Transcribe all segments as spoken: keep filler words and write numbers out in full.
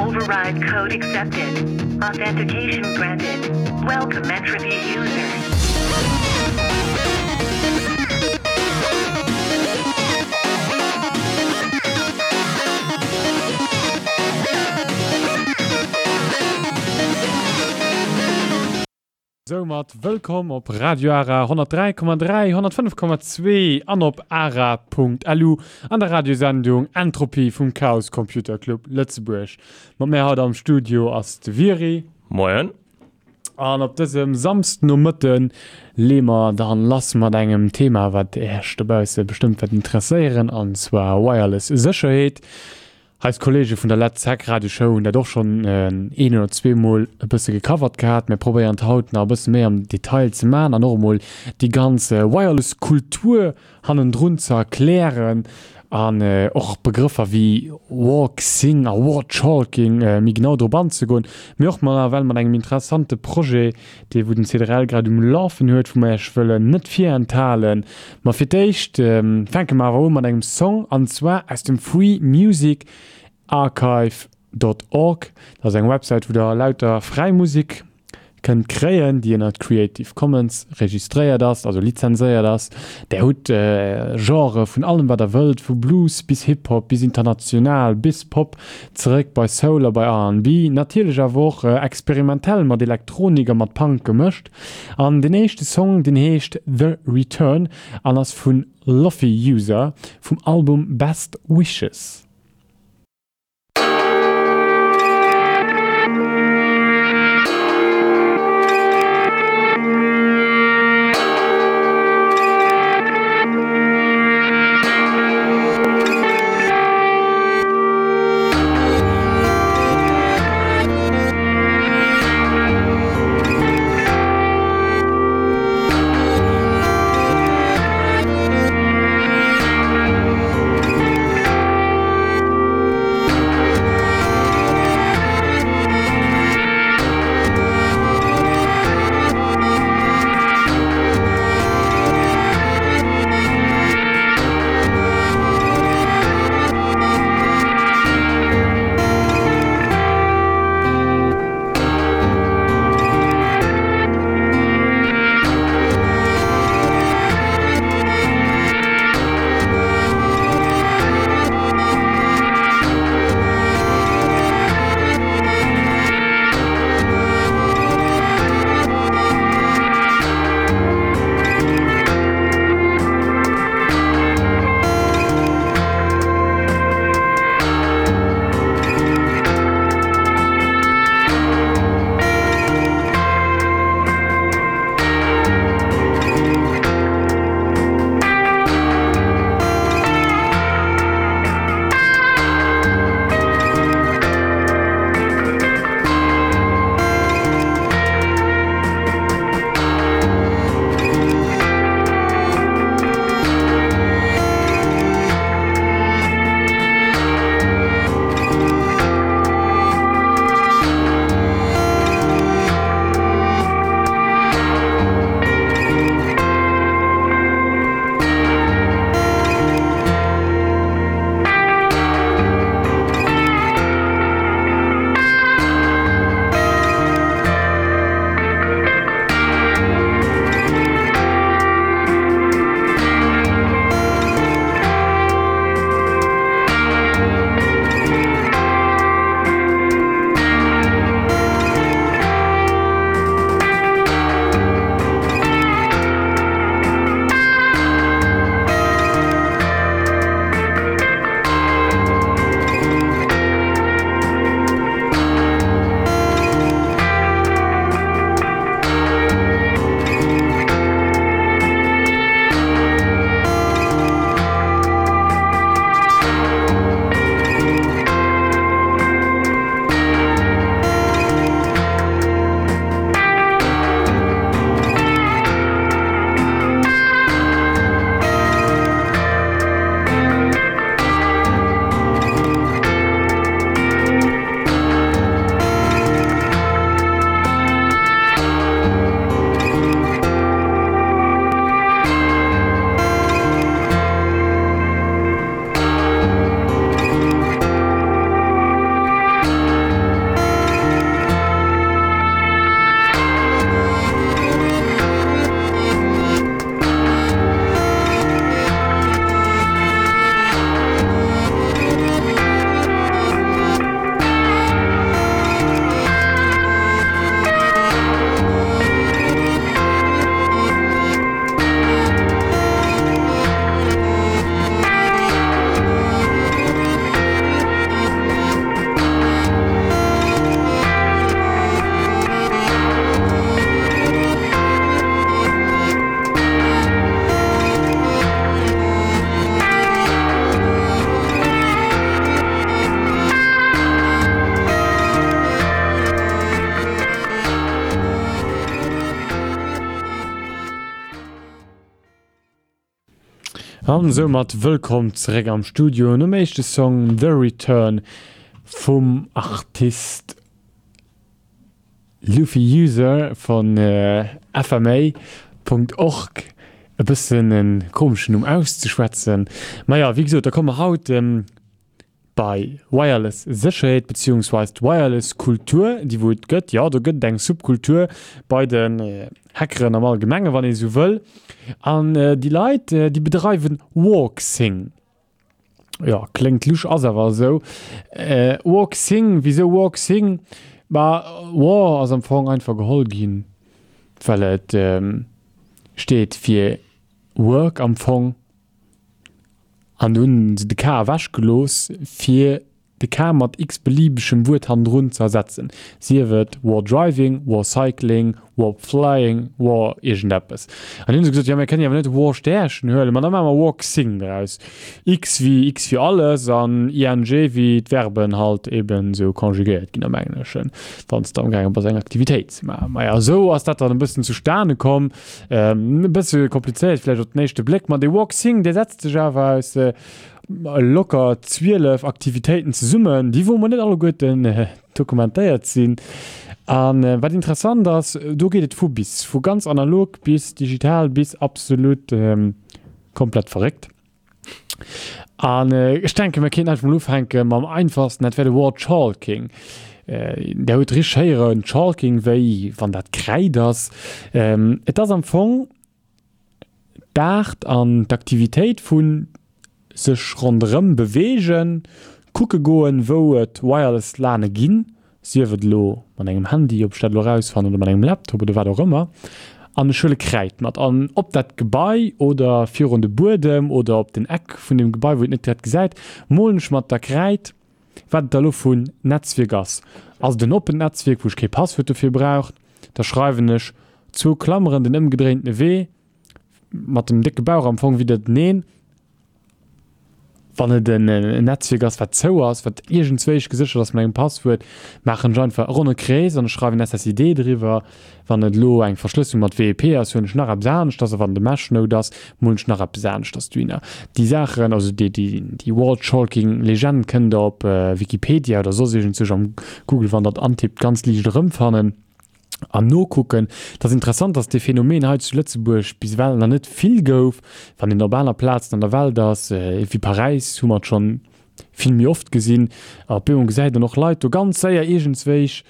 Override code accepted. Authentication granted. Welcome entropy user. Soumat wëllkomm op Radio Ara honnertdräi Komma dräi, honnertfënnef Komma zwee an op ara Punkt L U an der Radiosendung Entropy vum Chaos Computer Club Lëtzebuerg. Mat mär haut am Studio ass de Viry. Moien. An op dësem Samsdenomëtte leeë mer dann lass mat engem Thema, wat Iech dobausse bestëmmt wäert interesséieren, an zwar Wireless Sécherheet. Eis Kollege vun der Let's Hack Radioshow hunn dat och schonn een oder zwee Mol e bësse gecovert gehat. Mir probéieren et haut nach e bësse méi am Detail ze maachen an och emol déi ganz Wireless Kultur hannendrun ze erklären an och Begrëffer wéi Walk-Sing a Warchalking méi genau drop anzegoen. Mee och mal nawell mat engem interessante Projet, dee wou den C D R L grad um Lafen huet, wou mer Iech wëllen net virenthalen. Ma fir d'éischt fänke mer awer u mat engem Song, an zwar aus dem Free Music Archive dot org. Dat ass eng Websäit, wou der lauter fräi Musek kënnt kréien, déi ënnert Creative Commons registréiert ass, also lizenséiert ass. Der hutt Genre vun allem wat der wëllt, vu Blues bis Hip-Hop, bis international, bis Pop, zeréck bei Soul a bei R and B, natierlech awer och experimentell mat Elektronik a mat Punk gemëscht. An den éischte Song, deen heescht The Return an ass vun Lofi User vum Album Best Wishes. An soumat wëllkomm zeréck am Studio nom éischte Song The Return vum Artist Luffy User vun F M A Punkt org. E bëssen en komeschen Numm auszeschwätzen. Maja, wéi gesot, da komme mer haut bei Wireless Sécherheet beziehungsweise d'Wireless Kultur, déi wou et gëtt. Jo, do gëtt et eng Subkultur bei den Hackeren am Allgemenge wann ee sou wëll. An déi Leit, déi bedreiwen Walksing. Jo, kléngt lusch, ass awer esou. Walksing, wisou Walksing? Ma War ass am Fong einfach geholl ginn, well et steet fir Work am Fong. An du hunn se de K ewechgelooss, fir de K mat x-beliebegem Wuert hannendrun ze ersetzen, sief et War Driving, War Cycling, War Flying, War iergendeppes. An du hunn se gesot, jo mir kënnen jo awer net War Stärchen huelen, ma da maache mer Walksing draus. X wéi X fir alles an ing wéi d'Verben halt eben esou conjugéiert ginn am Engleschen, wann s de amgaange bass eng Aktivitéit ze maachen. Maja, esou ass dat dann e bëssen zustane komm. E bësse komplizéiert vläicht op den éischte Bléck, ma dee Walksing, dee setzt sech awer aus locker zwielef Aktivitéiten zesummen, déi wou mer net alleguerten dokumentéiert sinn. A wat interessant ass, do geet et vu bis, vu ganz analog bis digital bis absolut komplett verréckt. An ech denken, mir kéinten einfach mol ufänke mam einfachsten, dat wär de War Chalking. Der hutt richteg héieren, Chalking, wéi wann dat Kräid ass. Et ass am Fong d'Aart an d'Aktivitéit vu sech ronderëm beweegen, kucke goen, wou et Wireless LANe ginn, sief et elo mat engem Handy, ob ech dat elo erausfannen, oder mat engem Laptop oder wat och ëmmer, an ech huele Kräid mat an op dat Gebai oder virun de Buedem oder op den Eck vun deem Gebai, wou een et net direkt gesäit, molen ech mat der Kräid, wat et da elo vun Netzwierk ass. Ass et en oppent Netzwierk, wou ech kee Passwuert dofir brauch, da schreiwen ech zwou Klammeren, den ëmgedréintene Wee, mat dem décke Bauch am Fong widderteneen. Wann et en Netzwierk ass, wat zou ass, wat iergendzwéisch geséchert ass mat engem Passwuert, maachen ech einfach e ronne Krees an ech schreiwen S S I D driwwer. Wann et elo eng Verschlësselung mat W E P ass, huelen ech nach eppes aneschters a wann et e Mesh-Node ass, molen ech nach eppes aneschters dohinner. Déi Saachen, also déi, déi, déi Wall-Chalking-Legend kënnt der op Wikipedia oder soss iergendzwousch am Google, wann der et antippt, ganz liicht erëmfannen an nokucken. Et ass interessant, dass dee Phänomen hei zu Lëtzebuerg bis ewell nach net vill gouf. Wann een op aner Plazen an der Welt ass, wéi Paräis, hu mer et schonn vill méi oft gesinn. A op eemol gesäit een och Leit do ganz séier iergendswéich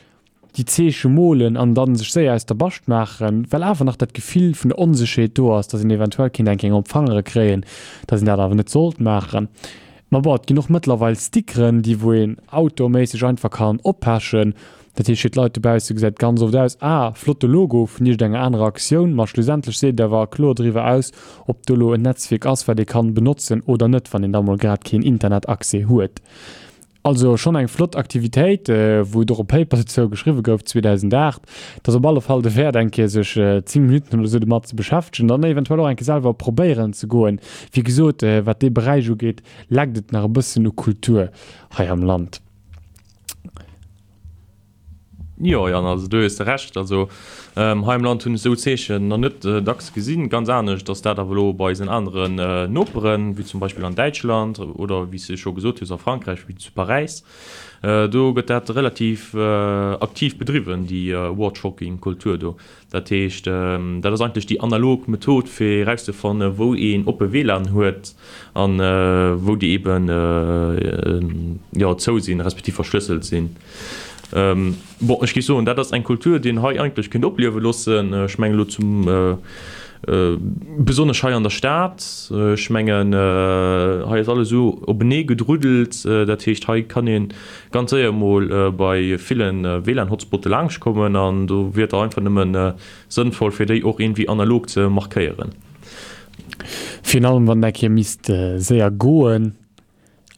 déi Zeeche molen an da sech séier aus der Bascht maachen, well awer nach dat Gefill vun der Onsécherheet do ass, dass een eventuell kéint eng Kéier op d'Fangere kréien, dass een dat awer net sollt maachen. Ma bon, et ginn och mëttlerweil Stickeren, déi wou een outdoorméisseg einfach kann oppechen. Dat heescht, fir d'Leit dobausse gesäit ganz oft aus, ah, flotte Logo vun iergendenger anerer Aktioun, ma schlussendlech seet et awer kloer driwwer aus, ob do elo en Netzwierk ass, wat ee kann benotzen oder net, wann een da mol grad keen Internetaccès huet. Also schonn eng flott Aktivitéit, wou et och e Paper dozou geschriwwe gouf zweedausendacht. Et ass op alle Fall derwäert, eng Kéier sech zéng Minutten oder esou domat ze beschäftegen an eventuell och eng Kéier selwer probéieren ze goen. Wéi gesot, wat dee Beräich ugeet, leckt et nach e bëssen u Kultur hei am Land. Jo Jan, also do hues de Recht. Also hei am Land hunn ech esou Zeechen nach net dacks gesinn. Ganz anescht ass dat awer elo bei eisen aneren Noperen, wéi zum Beispill an Däitschland oder wéi s de scho gesot hues a Frankräich, wéi zu Paräis. Do gëtt dat relativ aktiv bedriwwen, déi War-Chalking-Kultur do. Dat heescht, dat ass eigentlech déi analog Method, fir erauszefannen, wou een oppe W LAN huet a wou déi eeben, jo, zou sinn, respektiv verschlësselt sinn. Bon, ech géif soen, dat ass eng Kultur, déi een hei eigentlech kéint opliewe loossen. Ech mengen elo zum besonnesch hei an der Stad. Ech mengen, hei ass alles esou openee gedruddelt. Dat heescht, hei kann ee ganz séier emol bei ville W LAN-Hotspotte laangschtkommen an do wier et da einfach nëmme sënnvoll, fir déi och iergendwéi analog ze markéieren. Virun allem, wann et eng Kéier misst séier goen.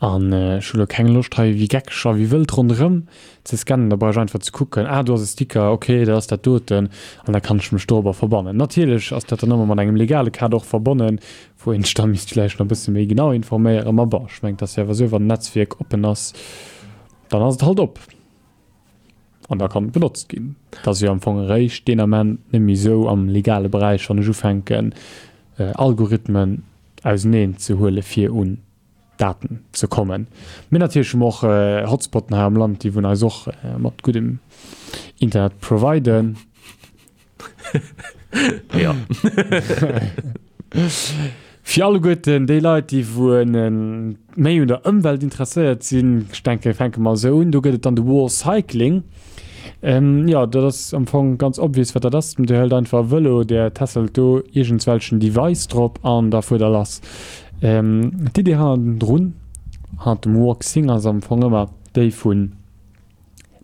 An ech hu lo keng Loscht hei wéi geckeg a wéi wëllt ronderëm ze scannen, da brauch ech einfach ze kucken, ah do ass e Sticker, ok dat ass dat doten an da kann ech mech dorobber verbannen. Natierlech ass dat dann ëmmer mat engem legale Kader och verbonnen, wou een sech da misst vläicht nach e bësse méi genau informéieren. Ma bon, ech mengen et ass jo awer esou, wann en Netzwierk oppen ass, dann ass et halt op an da kann et benotzt ginn. Et ass jo am Fong eréischt deen Ament net méi esou am legale Beräich, wann ech ufänken Algorithmen auseneen ze huele fir un Daten ze kommen. Mee natierlech hu mer och Hotspotten hei am Land, déi wou eis och mat guddem Internet providen. Ja. Fir alleguerten déi Leit, déi wou méi un der Ëmwelt interesséiert sinn, ech denke fänke mer esou un, do gëtt et dann de War Cycling. Jo, dat ass am Fong ganz obvious, wat dat ass. Dir hëlt einfach e Vëlo, der tässelt do iergendswelchen Device drop an da fuert der lass. D'Idee hannendrun, hannert dem Walk-Sing ass am Fong ëmmer déi vun,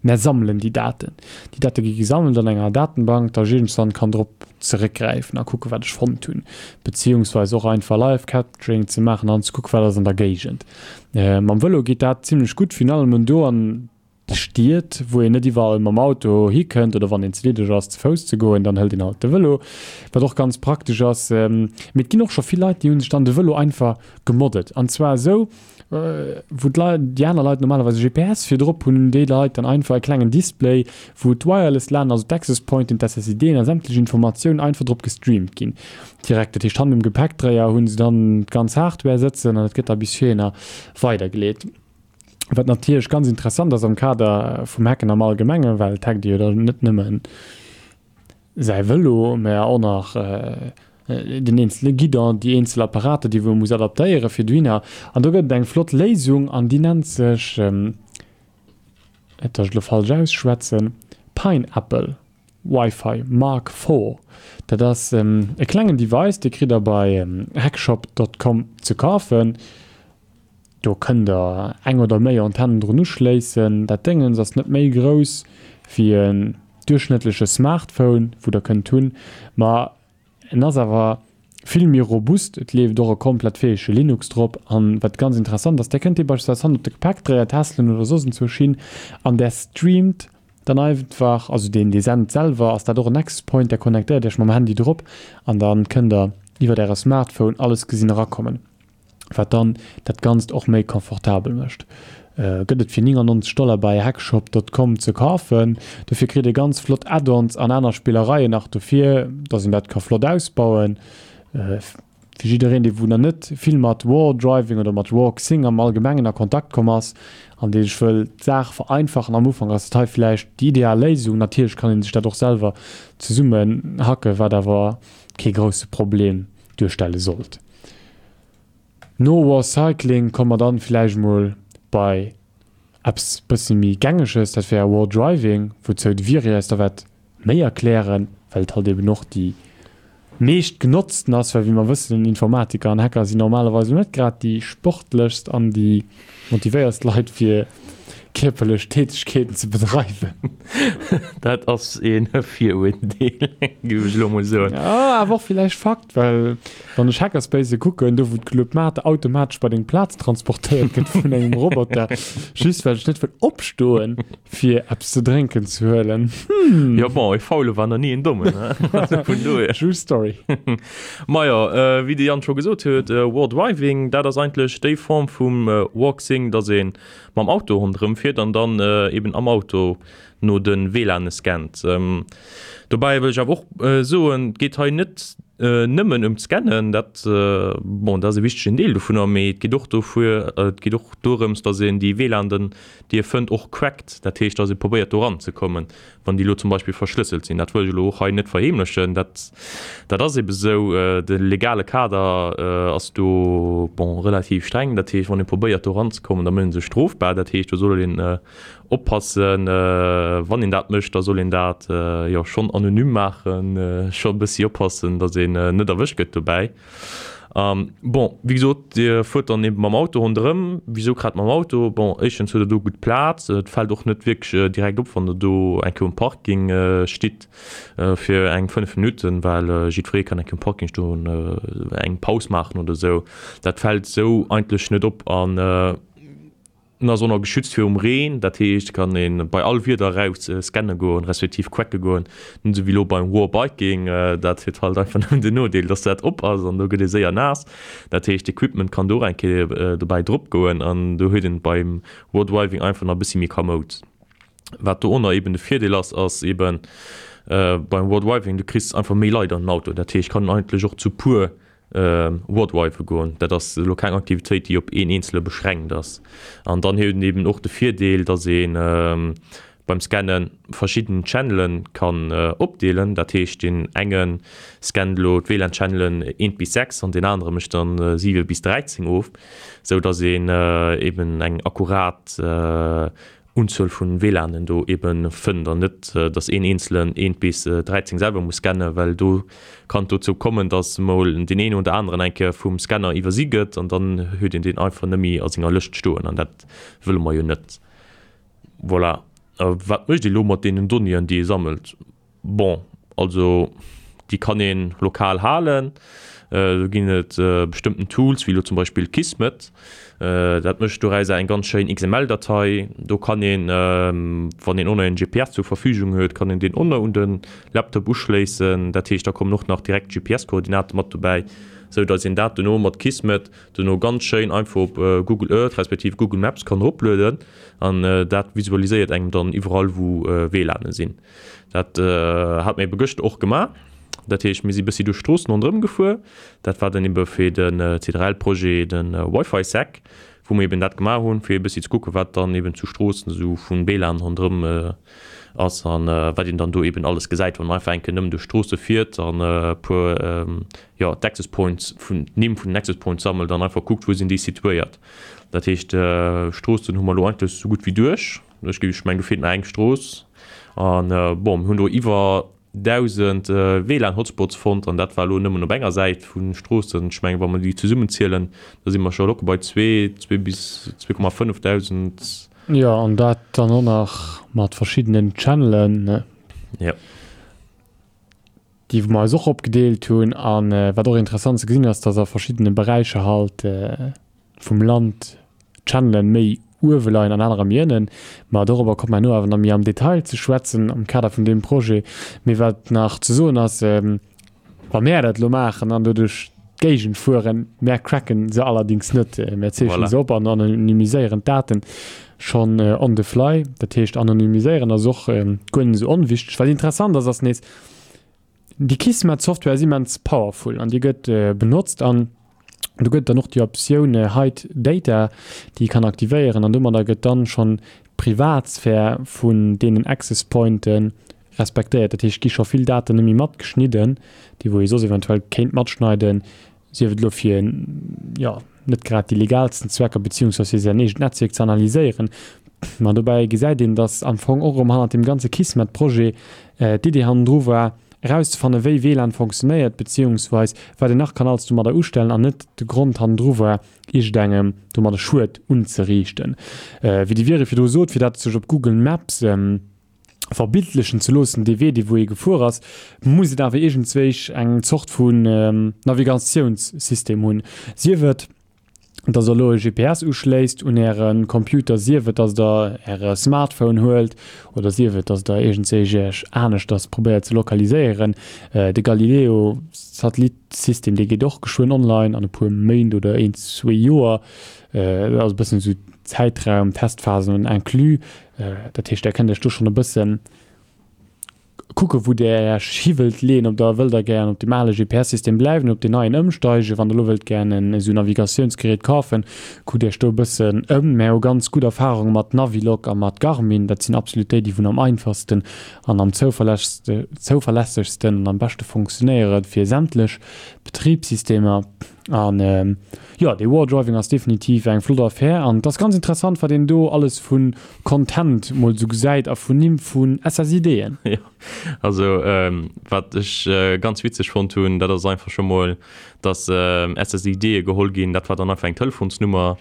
Mär sammelen déi Daten. Déi Date gi gesammelt an enger Datenbank, datt ech iergendswann kann drop zeréckgräifen a kucken, wat ech fonnt hunn. Beziehungsweise och einfach Live Capturing ze maachen an ze kucken, wat ass an der Géigend. Mam Vëlo geet dat zimlech gutt, virun allem do an Stied, wou een net iwwerall mam Auto hikënnt oder wann een ze liddeg ass, ze Fouss ze goen, dann hëlt een halt de Vëlo, wat och ganz praktesch ass. Mee et ginn och scho vill Leit, déi hu sech dann de Vëlo einfach gemoddet an zwar esou, wou d'Leit, déi aner Leit normalerweis e G P S fir drop hunn, hunn déi Leit dann einfach e klengen Display, wou d'Wireless LAN, also d'Access Pointen, d'S S I Dn a sämtlech Informatiounen einfach drop gestreamt ginn direkt. Dat heescht, hannen um Gepäckdréier hu se dann d'ganz Hardware sëtzen an et gëtt da bis virhinner weidergeleet. Wat natierlech ganz interessant ass am Kader vum Hacken am Allgemengen, well et hackt ee jo dann net nëmmen säi Vëlo, mä och nach den eenzele Guidon, déi eenzel Apparater, déi wou ee muss adaptéiere fir dohinner. An do gëtt et eng flott Léisung an déi nennt sech, net datt ech et elo falsch ausschwätzen, Pineapple Wi-Fi Mark Four. Dat ass e klengen Device, dee kritt der bei hackshop dot com ze kafen. Do kënnt der eng oder méi Antennen drun uschléissen. Dat Déngens ass net méi grouss wéi en duerchschnëttleche Smartphone, wou der kënnt hunn, ma en ass awer vill méi robust. Et leeft och e komplett fäege Linux drop. An wat ganz interessant ass, där kënnt dir beispillsweis hannen op de Gepäckdréier tässelen oder soss enzwousch hin an där streamt dann einfach, also deen dee sent selwer, ass dat och en Access Point, där connectéiert iech mam Handy drop an dann kënnt der iwwert äre Smartphone alles gesinn erakommen. Wat dann dat Ganzt och méi komfortabel mécht. Gëtt et fir néngannonzeg Dollar bei hackshop dot com ze kafen. Dofir kritt ee ganz flott Add-ons an aner Spillereien nach dofir, dass een dat ka flott ausbauen. Fir jiddereen, dee wou nach net vill mat War Driving oder mat Walk Sing am Allgemengen a Kontakt komm ass an dee sech wëll d'Saach vereinfachen am Ufank, ass dat hei villäicht déi ideal Léisung. Natierlech kann ee sech dat och selwer zesummen hacken, wat awer kee grousse Problem duerstelle sollt. No War Cycling komme mer dann villäicht mol bei eppes bësse méi Gängeges, dat wär War Driving, wouzou de Viri eis da wäert méi erklären, well et halt eben och déi meescht genotzten ass, well wéi mer wëssen, Informatiker an Hacker sinn normalerweis net grad déi sportlechst an déi motivéierst Leit fir kierperlech Tätegkeeten ze bedreiwen. Dat ass ee Viruerdeel, géif ech elo mol soen. Ja, awer och villäicht Fakt, well wann ech Hackerspace kucken, do wou d'Club Mate automatesch bei deng Plaz transportéiert gëtt vun engem Roboter, just well ech net wëll opstoen, fir eppes ze drénken ze huelen. Hmm. Jo, bon, e Faule war nach ni en Dommen, ne? Also vun dohier. True story. Majo, wéi de Yann scho gesot huet, War Driving, dat ass eigentlech déi Form vum Walk-Sing, dass ee mam Auto ronderëm fiert an dann eben am Auto no de W L A N scannt. Dobäi wëll ech awer och soen, et geet hei net nëmmen ëm d'Scannen, dat, bon, dat ass e wichtegen Deel dovunner, mee et geet och dofir, et geet och dorëms, datt een déi W L A N-en, déi e fënnt, och crackt, dat heescht, datt ee probéiert do eranzekommen, wann déi elo zum Beispill verschlësselt sinn. Dat wëll ech elo och hei net verheemlechen, dat, dat ass ebe sou. De legale Kader ass do, bon, relativ streng, dat heescht, wann ee probéiert do eranzekommen, da mécht ee sech strofbar, dat heescht, do soll een oppassen, wann een dat mécht, da soll een dat jo schonn anonym maachen, scho e bëssi oppassen, datt een net erwëscht gëtt dobäi. Bon, wéi gesot, Dir fuert dann eben mam Auto ronderëm. Wisou grad mam Auto? Bon, éischtens huet Der do gutt Plaz, et fält och net wierklech direkt op, wann Der do eng Kéier um Parking stitt fir eng fënnef Minutten, well jiddweree kann eng Kéier um Parking stoen, eng Paus maachen oder esou. Dat fält esou eigentlech net op an En ass och nach geschützt virum Reen, dat heescht kann een bei all Wieder eraus scanne goen, respektiv quacke goen, net esou wéi elo beim War Biking, dat huet halt einfach nëmmen den Nodeel, dass dat op ass an do gëtt ee séier naass. Dat heescht d'Equipment kann do och eng Kéier dobäi drop goen an do huet een beim War Driving einfach nach e bëssi méi kamoud. Wat do och nach eben de Virdeel ass, ass eben beim War Driving, du kriss einfach méi Leit an den Auto, dat heescht kann eigentlech och zu puer Wardrive goen. Dat ass elo keng Aktivitéit, déi op een Eenzele beschränkt ass. An dann huet een eben och de Virdeel, dass ee beim Scanne verschidden Channele kann opdeelen. Dat heescht, deen enge scannt elo d'WLAN-Channelen eent bis sechs an deen anere mécht dann siwe bis dräizéng of, sou dass een eben eng akkurat Unzuel vun WLANen do eben fënnt an net dass een eenzelen eent bis dräizéng selwer muss scannen, well do kann et dozou kommen, dass emol deen een oder aneren eng Kéier vum Scanner iwwersi gëtt an dann huet een deen einfach net méi a senger Lëscht stoen an dat wëlle mer jo net. Voilà. A wat mécht ee lo mat deenen Donnéeën déi ee sammelt? Bon, also déi kann ee lokal halen. Do ginn et bestëmmten Tools, wéi elo zum Beispill Kismet. Dat mécht dorausser eng ganz schéin X M L-Datei. Do kann een, wann een oner en G P S zur Verfügung huet, kann een deen oner un de Laptop uschléissen. Dat heescht, da kommen och nach direkt G P S-Koordinate mat dobäi, sou datt een dat dono mat Kismet dono ganz schéin einfach op Google Earth respektiv Google Maps kann eroplueden. An dat visualiséiert engem dann iwwerall, wou W L A Ne sinn. Dat hat mir ebe gëschter och gemaach. Dat heescht, mir si bëssi duerch d'Stroossen ronderëm gefuer. Dat war dann ebe fir den C drei L-Projet, den Wi-Fi-Sec, wou mir eben dat gemaach hunn, fir e bëssi ze kucken, wat dann eben zu Stroossen esou vun W L A N ronderëm ass an wat een dann do eben alles gesäit, wann man einfach eng Kéier nëmmen duerch d'Stroosse fiert an e puer, ja, d'Access Points vun, d'Nimm vun den Access Points sammelt an einfach kuckt, wou sinn déi situéiert. Dat heescht, Stroossen hu mer elo eigentlech esou gutt wéi duerch. Ech géif, ech mengen, do feelt nach eng Strooss. An, bon, mir hunn do iwwer dausend W L A N-Hotspots fonnt an dat war elo nëmmen op enger Säit vun Stroossen. Ech mengen, wa mer déi zesummenzielen, da si mer scho locker bei zwee, zwee bis zwee Komma fënnef dausend. Ja, an dat dann och nach mat verschiddenen Channelen, ne? Ja. Déi mer eis och opgedeelt hunn. An, äh, wat och interessant ze gesinn ass, dass a verschiddene Beräicher halt, äh, vum Land Channelen méi uewe leien an anerer méi ënnen. Ma darüber kommt man no awer nach méi am Detail ze schwätzen am Kader vun deem Projet. Mee wat nach ze soen ass, ähm, wa mir dat lo maachen an doduerch d'Géigend fueren, mer cracken se allerdings net. Äh, mer zeechnen Voilà. se op an anonymiséieren d'Daten schon, äh, on the fly. Dat heescht, anonymiséieren ass och, ähm, guer net so onwichtig. Wat interessant ass, ass nees, déi Kismet-Software ass immens powerful an déi gëtt, äh, benotzt an du gëtt dann och déi Optioun, äh, Hide Data, déi kann aktivéieren an domadder gëtt dann schon Privatsphär vun deenen Access Pointen respektéiert. Dat heescht, gi scho vill Daten net méi matgeschnidden, déi wou ee soss eventuell kéint matschneiden, sief et lo fir, ja, net grad déi legalsten Zwecker beziehungsweise fir säin eegent Netzwerk ze analyséieren. Ma dobäi gesäit een, dass am Fong och erëm hannert dem ganze Kismet-Projet, äh, d'Idee hannendru war, herauszufannen, wéi W L A N funktionéiert, beziehungsweise wat een nach kann alles domadder ustellen an net de Grond hannendru war, irgendengem domadder Schued unzerichten. Äh, wéi die Vieri virdru sot, fir dat sech op Google Maps, ähm, verbildlichen ze loossen, dee Wee, dee wou ee gefuer ass, muss et awer iergendzwéich eng Zort vun, ähm, Navigationssystem hunn. Sief et, dass der elo e G P S uschléisst un ären Computer, sief et, dass der äre Smartphone huelt oder sief et, dass der iergendzwéich iech aneschters probéiert ze lokaliséieren. Äh, de Galileo-Satellitsystem, dee geet och geschwënn online an e puer Méint oder een, zwee Joer. Äh, dat ass e bëssen so Zäitraum, Testphasen inclus. Äh, dat heescht, der kënnt iech do schon e bëssen kucke, wou der Iech hiwwelt leen, ob der wëllt der gern op dem ale G P S-System bleiwen, op den neien ëmsteigen, wann der lo wëllt gern en esou Navigationsgerät kaufen, kuckt Iech do e bëssen ëm. Mir hu ganz gutt Erfahrungen mat Navilock a mat Garmin, dat sinn absolut déi, déi vun am einfachsten an am zuverlässigsten, zuverlässigsten an am beschte funktionéieren fir sämtlech Betriebssystemer. An, ähm, ja, de Wardriving ass definitiv eng flott Affär an das ganz interessant, wat een do alles vun Content mol so gesäit a vun Nimm vun S S I D'en. Ja, also, ähm, wat ech, äh, ganz witzeg fonnt hunn, dat ass einfach schon mol, dass, ähm, S S I D'e geholl ginn, dat war dann einfach eng Telefonsnummer.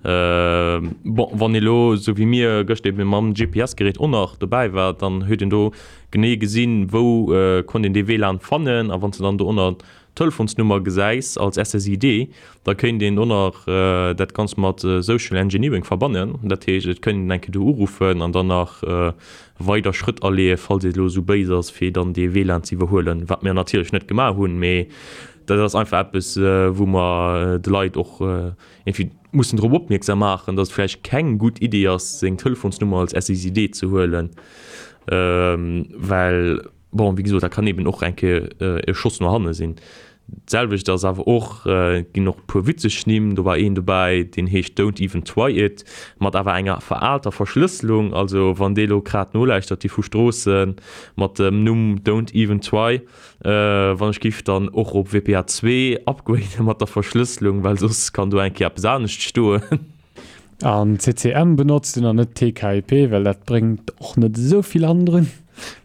Ähm, bon, wann ee lo, so wie mir gëscht eben mam G P S-Gerät och nach dobäi war, dann huet een do genee gesinn, wou, äh, konnt een dee W L A N fannen, a wann se dann do ënner Telefonsnummer gesäis als S S I D, da kéint een och nach, äh, dat ganz mat, äh, Social Engineering verbannen. Dat heescht, et kéint een eng Kéier do uruffen an dann nach, äh, weider Schrëtt aleeën, falls et lo so béis ass, fir dann dee W L A N ze iwwerhuelen, wat mir natierlech net gemaach hunn, mee dat ass einfach eppes, äh, wou mer, äh, de Leit och, äh, irgendwie mussen drop opmierksam maachen, dass et vläicht keng gutt Idee ass, seng Telefonsnummer als S S I D ze huelen. Ähm, well, bon, wie gesagt, da kann eben och eng Kéier, äh, e Schoss no hanne sinn. D'selwecht ass awer och, et ginn och e puer witzeg Nimm, do war een dobäi, deen heescht Don't Even Try It, mat awer enger veraalter Verschlësselung. Also wann dee lo grad nolauschtert, déi vu Stroossen mat dem Numm Don't Even Try, wann ech giff dann och op W P A zwee upgraden mat der Verschlësselung, well soss kann do eng Kéier eppes anescht stoen. An C C M benotzt en an net T K I P, well dat bréngt och net esou vill hannendrun.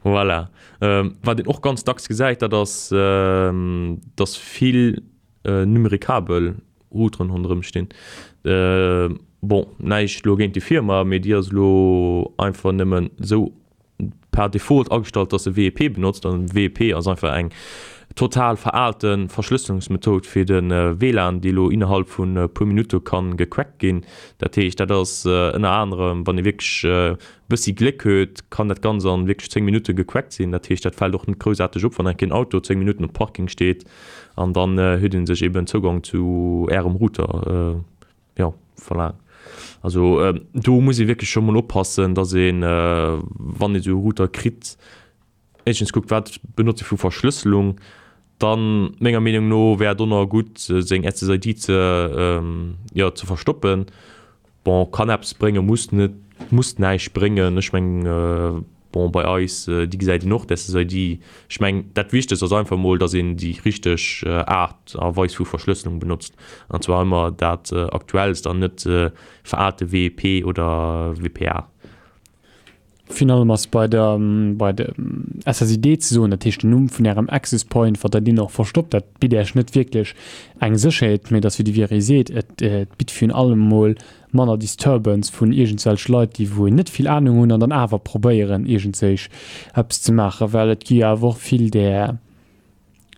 Voilà. Ähm, wat een och ganz dacks gesäit, dat ass, ähm, dass vill, äh, numericabel Routeren ronderëm stinn. Äh, bon, näischt elo géint déi Firma, mee déi ass elo einfach nëmmen esou per Default agestallt, dass se W E P benotzt. An W E P ass einfach eng total veraalte Verschlësselungsmethod fir de W L A N, déi elo innerhalb vun e puer Minutte kann gecrackt ginn. Dat heescht, dat ass, äh, ënner anerem, wann ee wierklech, äh, bëssi Gléck huet, kann dat Ganze an wierklech zéng Minutte gecrackt sinn. Dat heescht, dat fält och net groussaarteg op, wann enk een Auto zéng Minutten op Parking steet an dann, äh, huet een sech eben Zougang zu ärem Router, äh, ja, verlaangt. Also, äh, do muss ee wierklech scho mol oppassen, dass een, äh, wann ee sou e Router kritt, éischtens kuckt, wat benotze vu Verschlësselung, dann menger Meenung no wär et och nach gutt, seng S S I D ze, ähm, ja, ze verstoppen. Bon, kann eppes bréngen, muss net, muss näischt bréngen. Ech meng, äh, bon, bei eis, äh, déi gesäit een och, d'S S I D. Ech meng, dat Wichtegst ass einfach mol, dass een déi richteg, äh, Aart a Weis vu Verschlësselung benotzt. An zwar ëmmer dat, äh, aktuellst an net, äh, veraalte W E P oder W P A. Finalement ass bei der, bei der S S I D ze soen, dat heescht den Numm vun ärem Access Point, wat der deen och verstoppt, dat bitt Iech net wierklech eng Sécherheet, mee dass, wéi de Vieri seet, et, et bitt virun allem mol manner Disturbance vun irgendwelche Leit, déi wou net vill Ahnung hunn an dann awer probéieren, irgendwelch eppes ze maachen, well et gi awer och vill där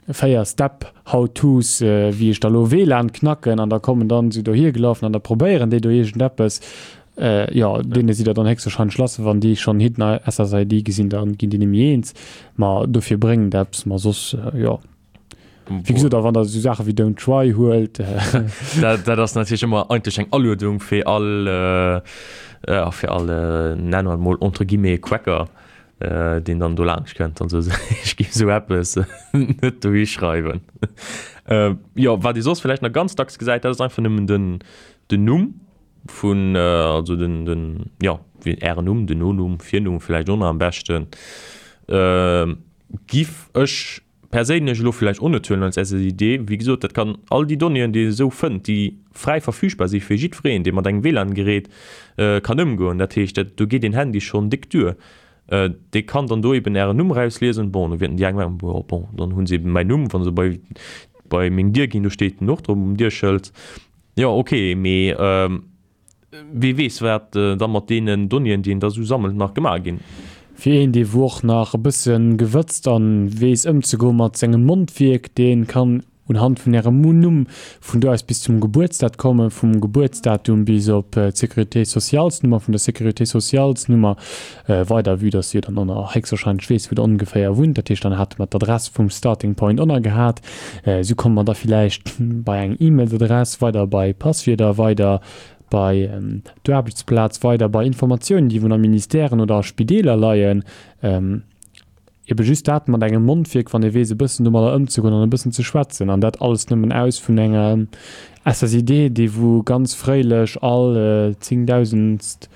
véier Step How-Tos, äh, wéi ech da lo W L A N knacken an da kommen dann se dohier gelaufen an da probéieren déi do irgendeppes. Äh, ja, denen sie da dann höchstwahrscheinlich lassen, wann die schon hinten S S I D gesehen, dann gehen die nicht mehr eins. Ma dafür bringen das, ma sonst, äh, ja. Wie gesagt, da wann da so Sachen wie Don't Try holt, äh. Dat, dat ist natürlich immer eigentlich eng Anleitung für all, äh, äh, für all, äh, nennen wir mal entre guillemets Quacker, äh, den dann do lang könnt. Also, ich gebe so etwas nicht durchschreiben. Äh, ja, was die sonst vielleicht noch ganz dacks gesagt, das ist einfach nur den, den Numm vun, äh, also den, den, ja, wie Ären Numm, den Nonumm, Virnumm vielleicht auch noch am besten. Ähm, gif ech perséinlech elo vielleicht auch net huelen als S S I D. Wie gesagt, dat kann all die Donnéeën, déi ee sou fënnt, déi frei verfügbar si fir jiddwereen, dee mat engem W L A N-Gerät, äh, kann ëmgoen. Dat heescht, dat, do geet den Handy schon dick duer. Äh, dee kann dann do eben ären Numm rauslesen. Bon, da werden die eng sagen, boah, bon, dann hunn se eben mäin Numm, wann se bei, bei meng Dier ginn, do steet den och drop um Dierschëld. Ja, okay, mee, ähm, wie weess, wat, äh, da mat deenen Donnéeën, déi een da so sammelt, nach gemaach ginn. Fir een, dee wo och nach e bëssen gewëtzt an weess ëmzegoen mat sengem Mondwierk, deen kann unhand vun ärem Numm vun do aus bis zum Geburtsdat kommen, vum Geburtsdatum bis op, äh, d'Sécurité Socialsnummer, vun der Sécurité Socialsnummer, äh, weider, vue dass ihr dann auch noch höchstwahrscheinlich weess, wo der ongeféier wunnt. Dat heescht, dann hat man d'Adress vum Starting Point auch noch gehabt. Äh, so kommt man da vielleicht bei eng E-Mail-Adress, weiter bei Passwörter, weiter bei, ähm, der Arbeitsplatz, weiter bei Informationen, die vun Ministèren oder Spideeler leien. Ähm, eben just dat mat engem Mondwierk, wann e weess, e bëssen domadder ëmzegoen an e bëssen ze schwätzen. An dat alles nëmmen aus vun enger S S I D, déi wou ganz fréilech all, äh, zéngdausendst,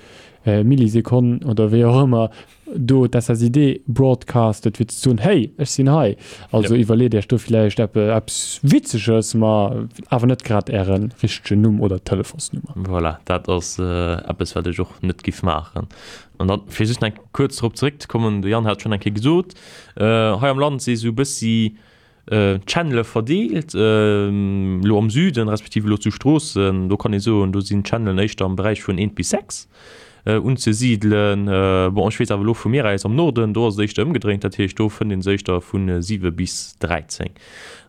äh, Millisekonn oder wéi och ëmmer do d'S S I D broadcastet, fir ze soen, hey, ech sinn hei. Also Ja. iwwerleet Iech do vielleicht eppe, eppes Witzeges, ma awer net grad ären richtegen Numm oder Telefonsnummer. Voilà, dat ass, äh, eppes, wat ech och net giff maachen. An dann, fir just eng kurz drop zréckzekommen, de Jan hat schon eng Kéier gesot, äh, hei am Land si sou bëssi, äh, Channele verdeelt, ähm, lo am Süden, respektive lo zu Stroossen, do kann ee soen, do sinn Channelen éischter am Bereich vun eent bis sechs, äh, unzesiedelen. Äh, bon, ech weess awer lo vu mir aus am Norden, do ass et éischter ëmgedréint, dat heescht, do fënnt een se éischter vun, äh, siwe bis dräizéng.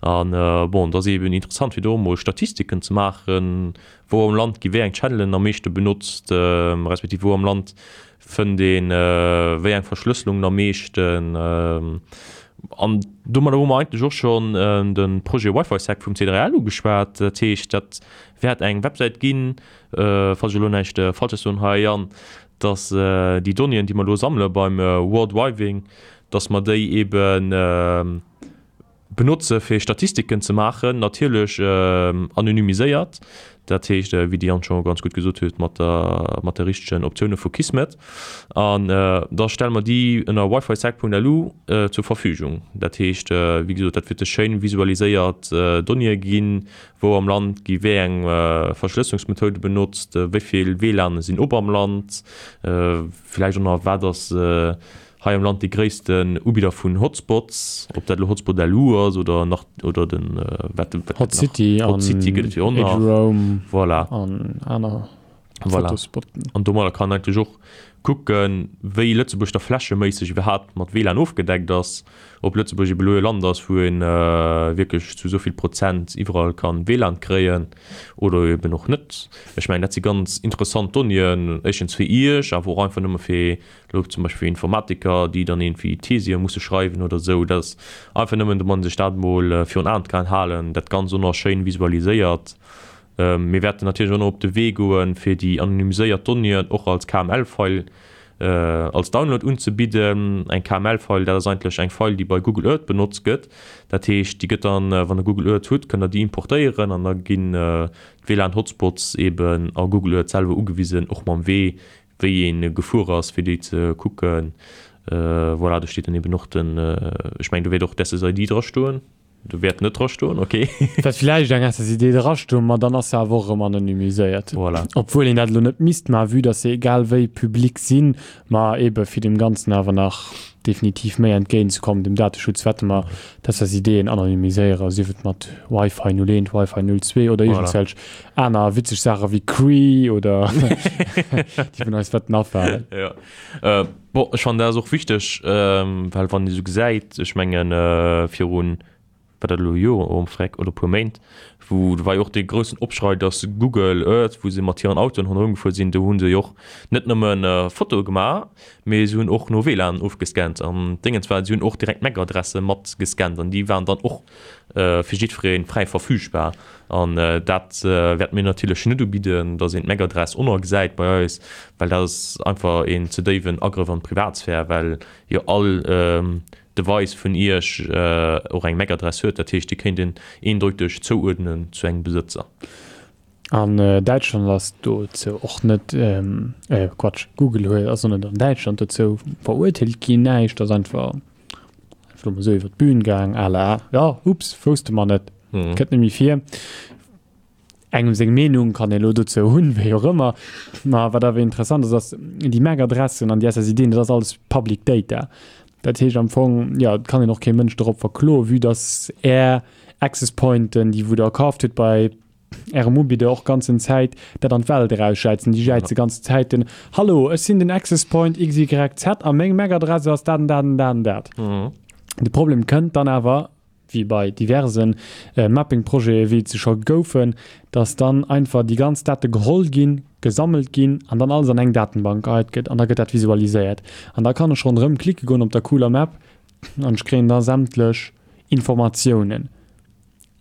An, äh, bon, dat ass eben interessant, fir do mol Statistiken ze maachen, wou am Land gi wéi eng Channelen am meeschte benotzt, ähm, respektiv wou am Land fënnt een, äh, wéi eng Verschlësselung am meeschten, ähm, an domadder hu mer eigentlech och schon, äh, den Projet Wi-Fi-Sec vum C drei L ugeschwat. Dat heescht, dat wäert eng Websäit ginn, äh, falls ech elo näischt, äh, Falsches soen hei, Jan, dass, äh, déi Donnéeën, déi mer lo sammele beim, äh, Warldriving, dass mer déi eben, äh, benotze fir Statistiken ze maachen, natierlech anonymiséiert, dat heescht wéi de Yann scho ganz gutt gesot huet, mat der mat de richtegen Optioune vu Kismet an da stelle mer déi ënner wifisec.lu zur Verfügung. Dat heescht wéi gesot, dat wäerte schéin visualiséiert Donnéeë ginn, wou am Land gi wéi eng Verschlësselungsmethode benotzt, wéi vill WLANe sinn op am Land, vläicht och nach wat ass hei am Land dee gréissten Ubidder vun Hotspots, ob dat elo Hotspot LU ass oder nach oder den wat wat Hot City Hot City gëtt et jo och nach. Eduroam voilà. an aner voilà. Fotospotten. An domadder kann eigentlech och kucken, wéi Lëtzebuerg da flächeméisseg iwwerhaapt mat WLAN ofgedeckt ass, ob Lëtzebuerg ebe elo e Land ass, wou ee wierklech zu esou vill Prozent iwwerall kann WLAN kréien oder eben och net. Ech mengen, dat si ganz interessant Donnéeën, éischtens fir Iech, awer och einfach nëmme fir elo zum Beispill fir Informatiker, déi dann iergendwéi Thesië musse schreiwen oder esou. Dat ass einfach nëmmen, datt man sech dat emol virun Aen kann halen, dat Ganzt och nach schéin visualiséiert. Mir wäerten natierlech och nach op de Wee goen, fir déi anonymiséiert Donnéeën och als K M L-File als Download unzebidden. Eng K M L-File, dat ass eigentlech eng File, déi bei Google Earth benotzt gëtt. Dat heescht, déi gëtt dann, wann der Google Earth hutt, kënnt der déi importéieren an da ginn d'WLAN-Hotspots eben a Google Earth selwer ugewisen, och mam Wee, wéi ee gefuer ass, fir déi ze kucken. Voilà, do steet dann eben och den, ech mengen, do wäert och d'S S I D drastoen. Do wäert net drastoen, okay. Wäert villäicht eng S S I D drastoen, ma dann ass se awer och erëm anonymiséiert. Voilà. Obwuel een dat elo net misst, ma vue dass se egal wéi public sinn, ma ebe fir dem Ganzen awer nach definitiv méi entgéintzekommen, dem Dateschutz, wäerte mer d'S S I Den anonymiséieren, sief et mat Wi-Fi null eent, Wi-Fi null zwee oder Voilà. iergendwelch aner witzeg Saache wéi Cree oder déi vun eis wäerten afalen. Ja. Äh, bon, ech fannen dat ass och wichteg, ähm, well wann ee sou gesäit, ech mengen, äh, virun war dat elo e Joer oh freck oder e puer Méint, wou do war jo och dee groussen Opschrei, datt Google Earth, wou se mat hiren Autoen ronderëm gefuer sinn, do hu se jo och net nëmmen Fotoe gemaach, mee se hunn och no W L A N ofgescannt an Déngens war, se hunn och direkt d'M A C-Adresse mat gescannt an déi waren dann och fir jiddweree fräi verfügbar. An dat wäerte mir natierlech net ubidden, datt een d'M A C-Adress oner gesäit bei eis, well dat ass einfach een ze déiwen Agrëff an d'Privatsphär, well jo all Device vun Iech och eng M A C-Adress huet, dat heescht, Dir kéint en eendeuteg zouuerdnen zu engem Besëtzer. An Däitschland ass dozou och net, äh, Quatsch, Google huet, ass och net an Däitschland dozou verurteelt ginn, näischt, ass einfach, einfach elo mol esou iwwer d'Bühn gaang, à la, ja, ups, wousste mer net, kënnt net méi vir. Engem seng Meenung kann ee lo dozou hunn, wéi och ëmmer. Ma wat awer interessant ass, ass déi M A C-Adressen an déi S S I Den, dat ass alles Public Data. Dat heescht am Fong, ja, et kann een och kee Mënsch dorop verkloen, vue dass Är Access Pointen, déi wou Der kaaft hutt bei Ärem Ubidder och ganzen Zäit dat an d'Welt erausschäizen. Déi schäize ganzen Zäit den Hallo, ech sinn den Access Point X Y Z a meng M A C-Adresse ass dat an dat an dat an dat. Mhm. De Problem kënnt dann awer, wéi bei diversen Mapping-Projete wéi et se scho goufen, dass dann einfach déi ganz Date geholl ginn, gesammelt ginn an dann alles an eng Datenbank geheit gëtt an da gëtt dat visualiséiert. An da kann ech ronderëm klicke goen op der cooler Map an ech kréien da sämtlech Informatiounen.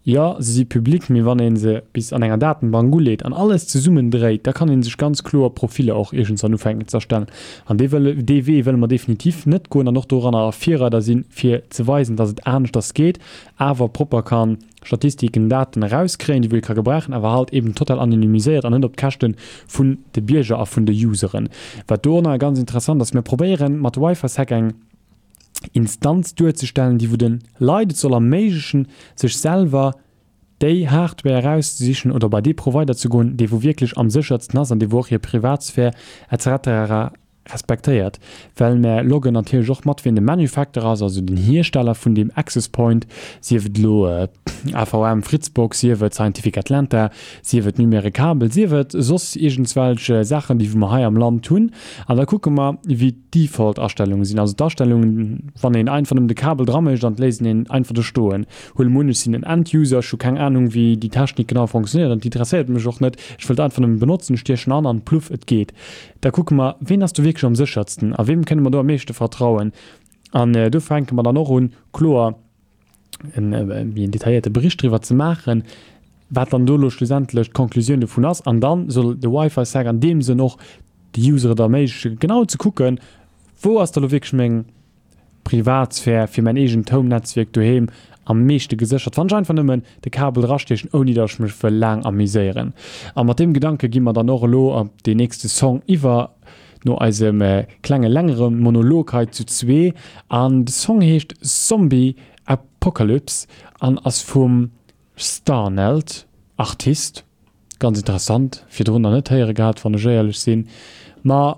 Jo, se si public, mee wann ee se bis an enger Datenbank uleet an alles zesummendréit, da kann ee sech ganz kloer Profiller och iergendswann ufänken ze erstellen. An dee wëlle, dee Wee wëlle mer definitiv net goen an och doranner Virreider sinn, fir ze weisen, dass et aneschters geet, awer propper kann Statistiken, Daten erauskréien, déi wou ee ka gebrauchen, awer halt eben total anonymiséiert an net op d'Käschte vun de Bierger a vun de Useren. Wat do och nach ganz interessant ass, mir probéieren mat WiFiSec eng Instanz duerzestellen, déi wou de Leit et soll erméiglechen, sech selwer déi Hardware erauszesichen oder bei dee Provider ze goen, dee wou wierklech am séchertsten ass an dee wou och hir Privatsphär et cetera respektéiert. Well mär loggen natierlech och mat, wien de Manufacturer ass, also den Hiersteller vun deem Access Point, sief et elo A V M, Fritzbox, sief et Scientific Atlanta, sief et Numericable, sief et soss iergendswelch Saachen, déi wou mer hei am Land hunn. An da kucke mer, wéi d'Default-Astellunge sinn, also d'Astellungen, wann een einfach nëmmen de Kabel dra mécht an d'léisst een einfach do stoen. Huele mer un, ech sinn en End-User, ech hu keng Ahnung, wéi déi Technik genau funktionéiert an d'interesséiert mech och net, ech wëllt einfach nëmmen benotzen, ech stiechen an an pluff, et geet. Da kucke mer, ween ass do wierklech am séchertsten a weem kënne mer do am meeschte vertrauen. An do fänke mer dann och un, kloer en, wéi en detailléierte Bericht driwwer ze maachen, wat dann do elo schlussendlech d'Conclusioun dovun ass. An dann soll de Wi-Fi-Sec an deem Sënn och de User et erméiglechen, genau ze kucken, wou ass da elo wierklech meng Privatsphär, fir mäin eegent Home-Netzwierk doheem am meeschte geséchert, wann ech einfach nëmmen de Kabel drastiechen, ouni datt ech mech wëll laang amuséieren. A mat deem Gedanke gi mer dann och elo op deen nächste Song iwwer, no eisem klenge längere Monolog hei zu zwee. An de Song heescht Zombie Apocalypse an ass vum Starnelt, Artist. Ganz interessant, virdrun nach net héiere gehat, wann ech éierlech sinn. Ma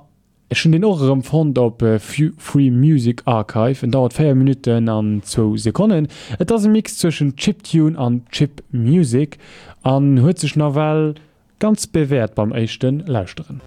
ech hunn deen och erëm fonnt op Free Music Archive. En dauert véier Minutten an zwou Sekonnen. Et ass e Mix zwëschen Chiptune an Chip Music an huet sech nawell ganz bewäert beim éischte Lauschteren.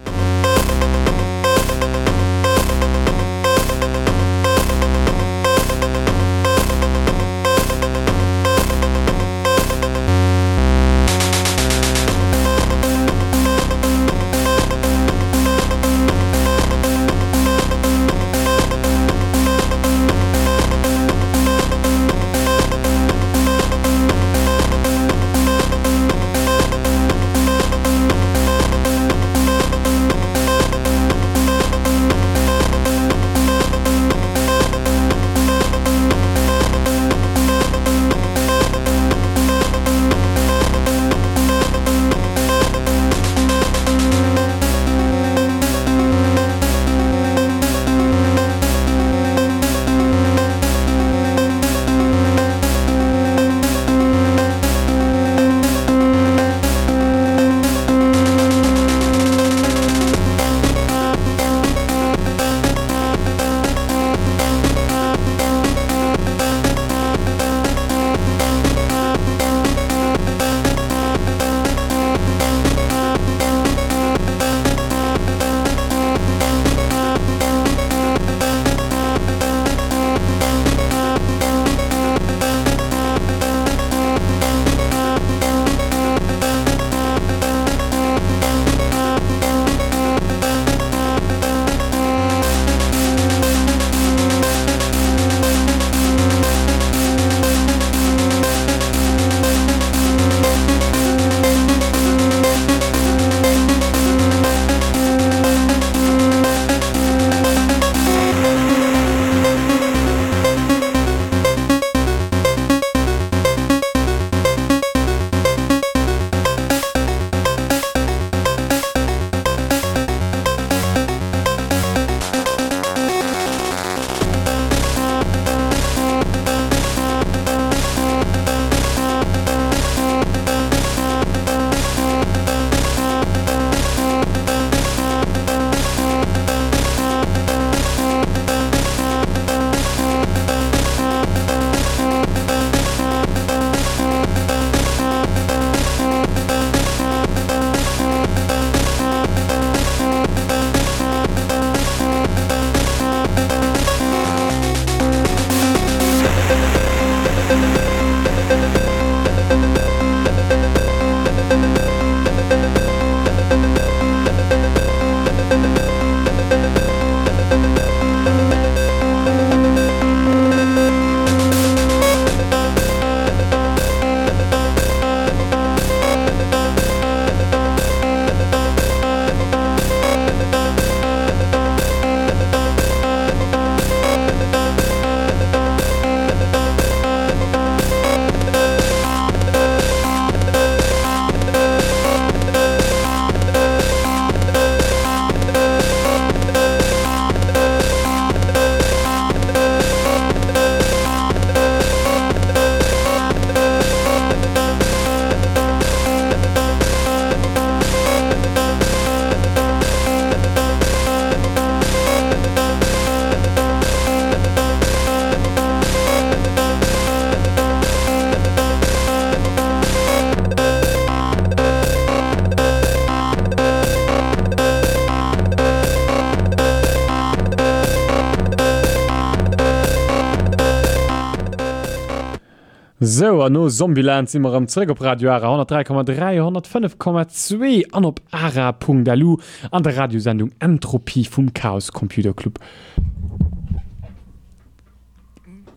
Sou, an no Zombieland si mer erëm zréck op Radio Ara honnertdräi Komma dräi, honnertfënnef Komma zwee an op ara Punkt lu an der Radiosendung Entropie vum Chaos Computer Club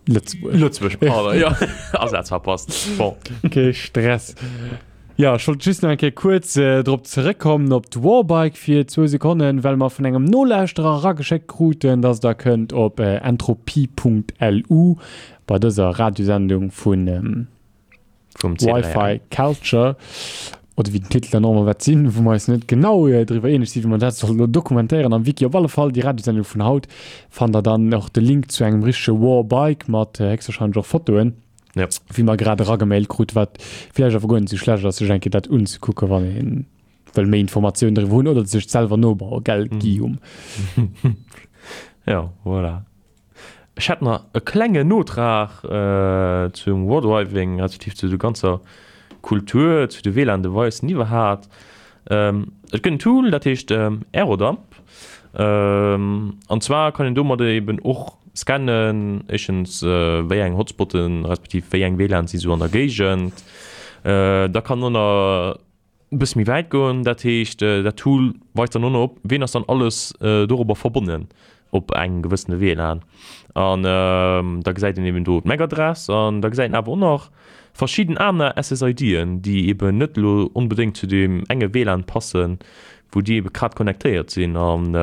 Lëtzebuerg. Lëtzebuerg, pardon, jo, Asaz verpasst, bon. Kee Stress. Jo, ech wollt just nach eng Kéier kuerz drop zeréckkommen, op d'Warbike fir zwou Sekonnen, well mer vun engem Nolauschterer erageschéckt kruten, dass Der kënnt op entropie.lu bei dëser Radiosendung vun Vum C drei L. Wi-Fi Culture, oder wéi den Titel dann och ëmmer wäert sinn, wou mer eis net genau driwwer eeneg sinn, wéi mer dat solle lo dokumentéieren am Wiki. Op alle Fall, déi Radiosendung vun haut fannt Der dann och de Link zu engem richtege Warbike mat héchstwahrscheinlech och Fotoen. Ja. Wéi mer grad eragemailt krut, wat vläicht awer guer net esou schlecht ass, sech eng Kéier dat unzekucken, wann ee wëll méi Informatiounen driwwer hunn oder sech selwer nobauen, gell Guillaume? Ja, voilà. Ech hätt nach e klengen Notrag zum Wardriving, respektiv zu der ganzer Kultur, zu de W L A N-Devicen iwwerhaapt. Et gëtt en Tool, dat heescht Airodump. An zwar kann een domadder eben och scannen, éischtens wéi eng Hotspotten, respektiv wéi eng W L A N si sou an der Géigend. Da kann en och e bësse méi wäit goen, dat heescht dat Tool weist dann och nach op, ween ass dann alles dorobber verbonnen op engem gewëssene W L A N. An da gesäit een eben do d'M A C-Adress an da gesäit een awer och nach verschidden aner S S I D'en, déi eben net elo onbedéngt zu deem enge W L A N passen, wou déi ebe grad connectéiert sinn. An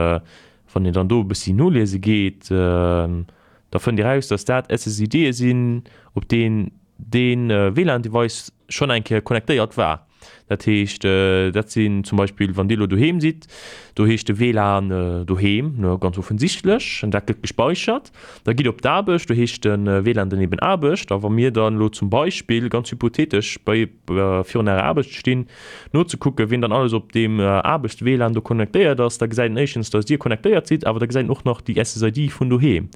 wann een dann do e bëssi noliese geet, da fënnt Dir raus, dass dat S S I D'e sinn, op deen dee W L A N-Device schonn eng Kéier connectéiert war. Dat heescht, dat sinn zum Beispill, wann Dir elo doheem sidd, do heescht de W L A N doheem, ne, ganz offensichtlech, an dat gëtt gespäichert. Da gitt op d'Aarbecht, do heescht de W L A N dann eben Aarbecht. A wa mir dann elo zum Beispill, ganz hypothetesch, bei, virun Ärer Aarbecht stinn, nozekucken, wien dann alles op deem Aarbechts-W L A N do connectéiert ass, da gesäit en éischtens, dass Dir connectéiert sidd, awer da gesäit en och nach déi S S I D vun doheem.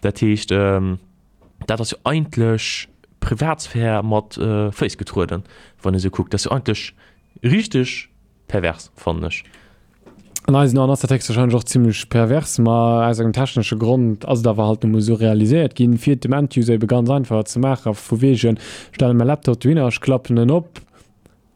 Dat heescht, dat ass jo eigentlech Privatsphär mat Féiss getrueden, wann ee sou kuckt. Dat ass jo eigentlech richteg pervers, fannen ech. An eisen Aen ass dat héchstwahrscheinlech och zimlech pervers, ma aus engem technesche Grond ass et awer halt nu mol esou realiséiert ginn, fir et dem End-User ebe ganz einfach ze maachen, vu wegen, stelle mäi Laptop dohinner, ech klappen en op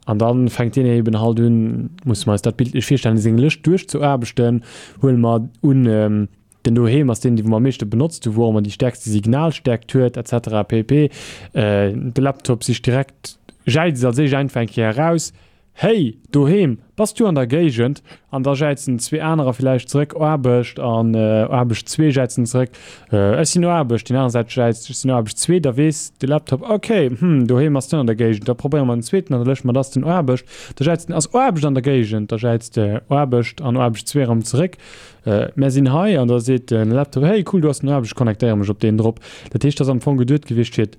an dann fänkt deen eben halt un, musse mer eis dat bildlech virstellen, seng Lëscht duerchzuaarbechten, huele mer un, den doheem ass deen, dee wou mer am meeschte benotzt hu, wou och ëmmer déi stäerkste Signalstäerkt huet, et cetera pp. De Laptop sicht direkt, jäizt als éischt einfach eng Kéier eraus, Hey, doheem, bass du an der Géigend? An da jäizen zwee anerer villäicht zeréck, Aarbecht, an Aarbecht zwee jäizen zeréck, Ech sinn no Aarbecht. Déi aner Säit jäizt, Ech sinn no Aarbecht zwee. Da weess de Laptop, Okay, hm, doheem ass net an der Géigend, da probéiere mer den zweeten an der Lëscht, ma dat ass den Aarbecht. Da jäizt en, Ass Aarbecht an der Géigend? Da jäizt Aarbecht an Aarbecht zwee erëm zeréck, Mär sinn hei. An da seet de Laptop, Hey, cool, du ass den Aarbecht, connectéiere mech op deen drop. Dat heescht, dat ass am Fong geduet gewiescht, fir et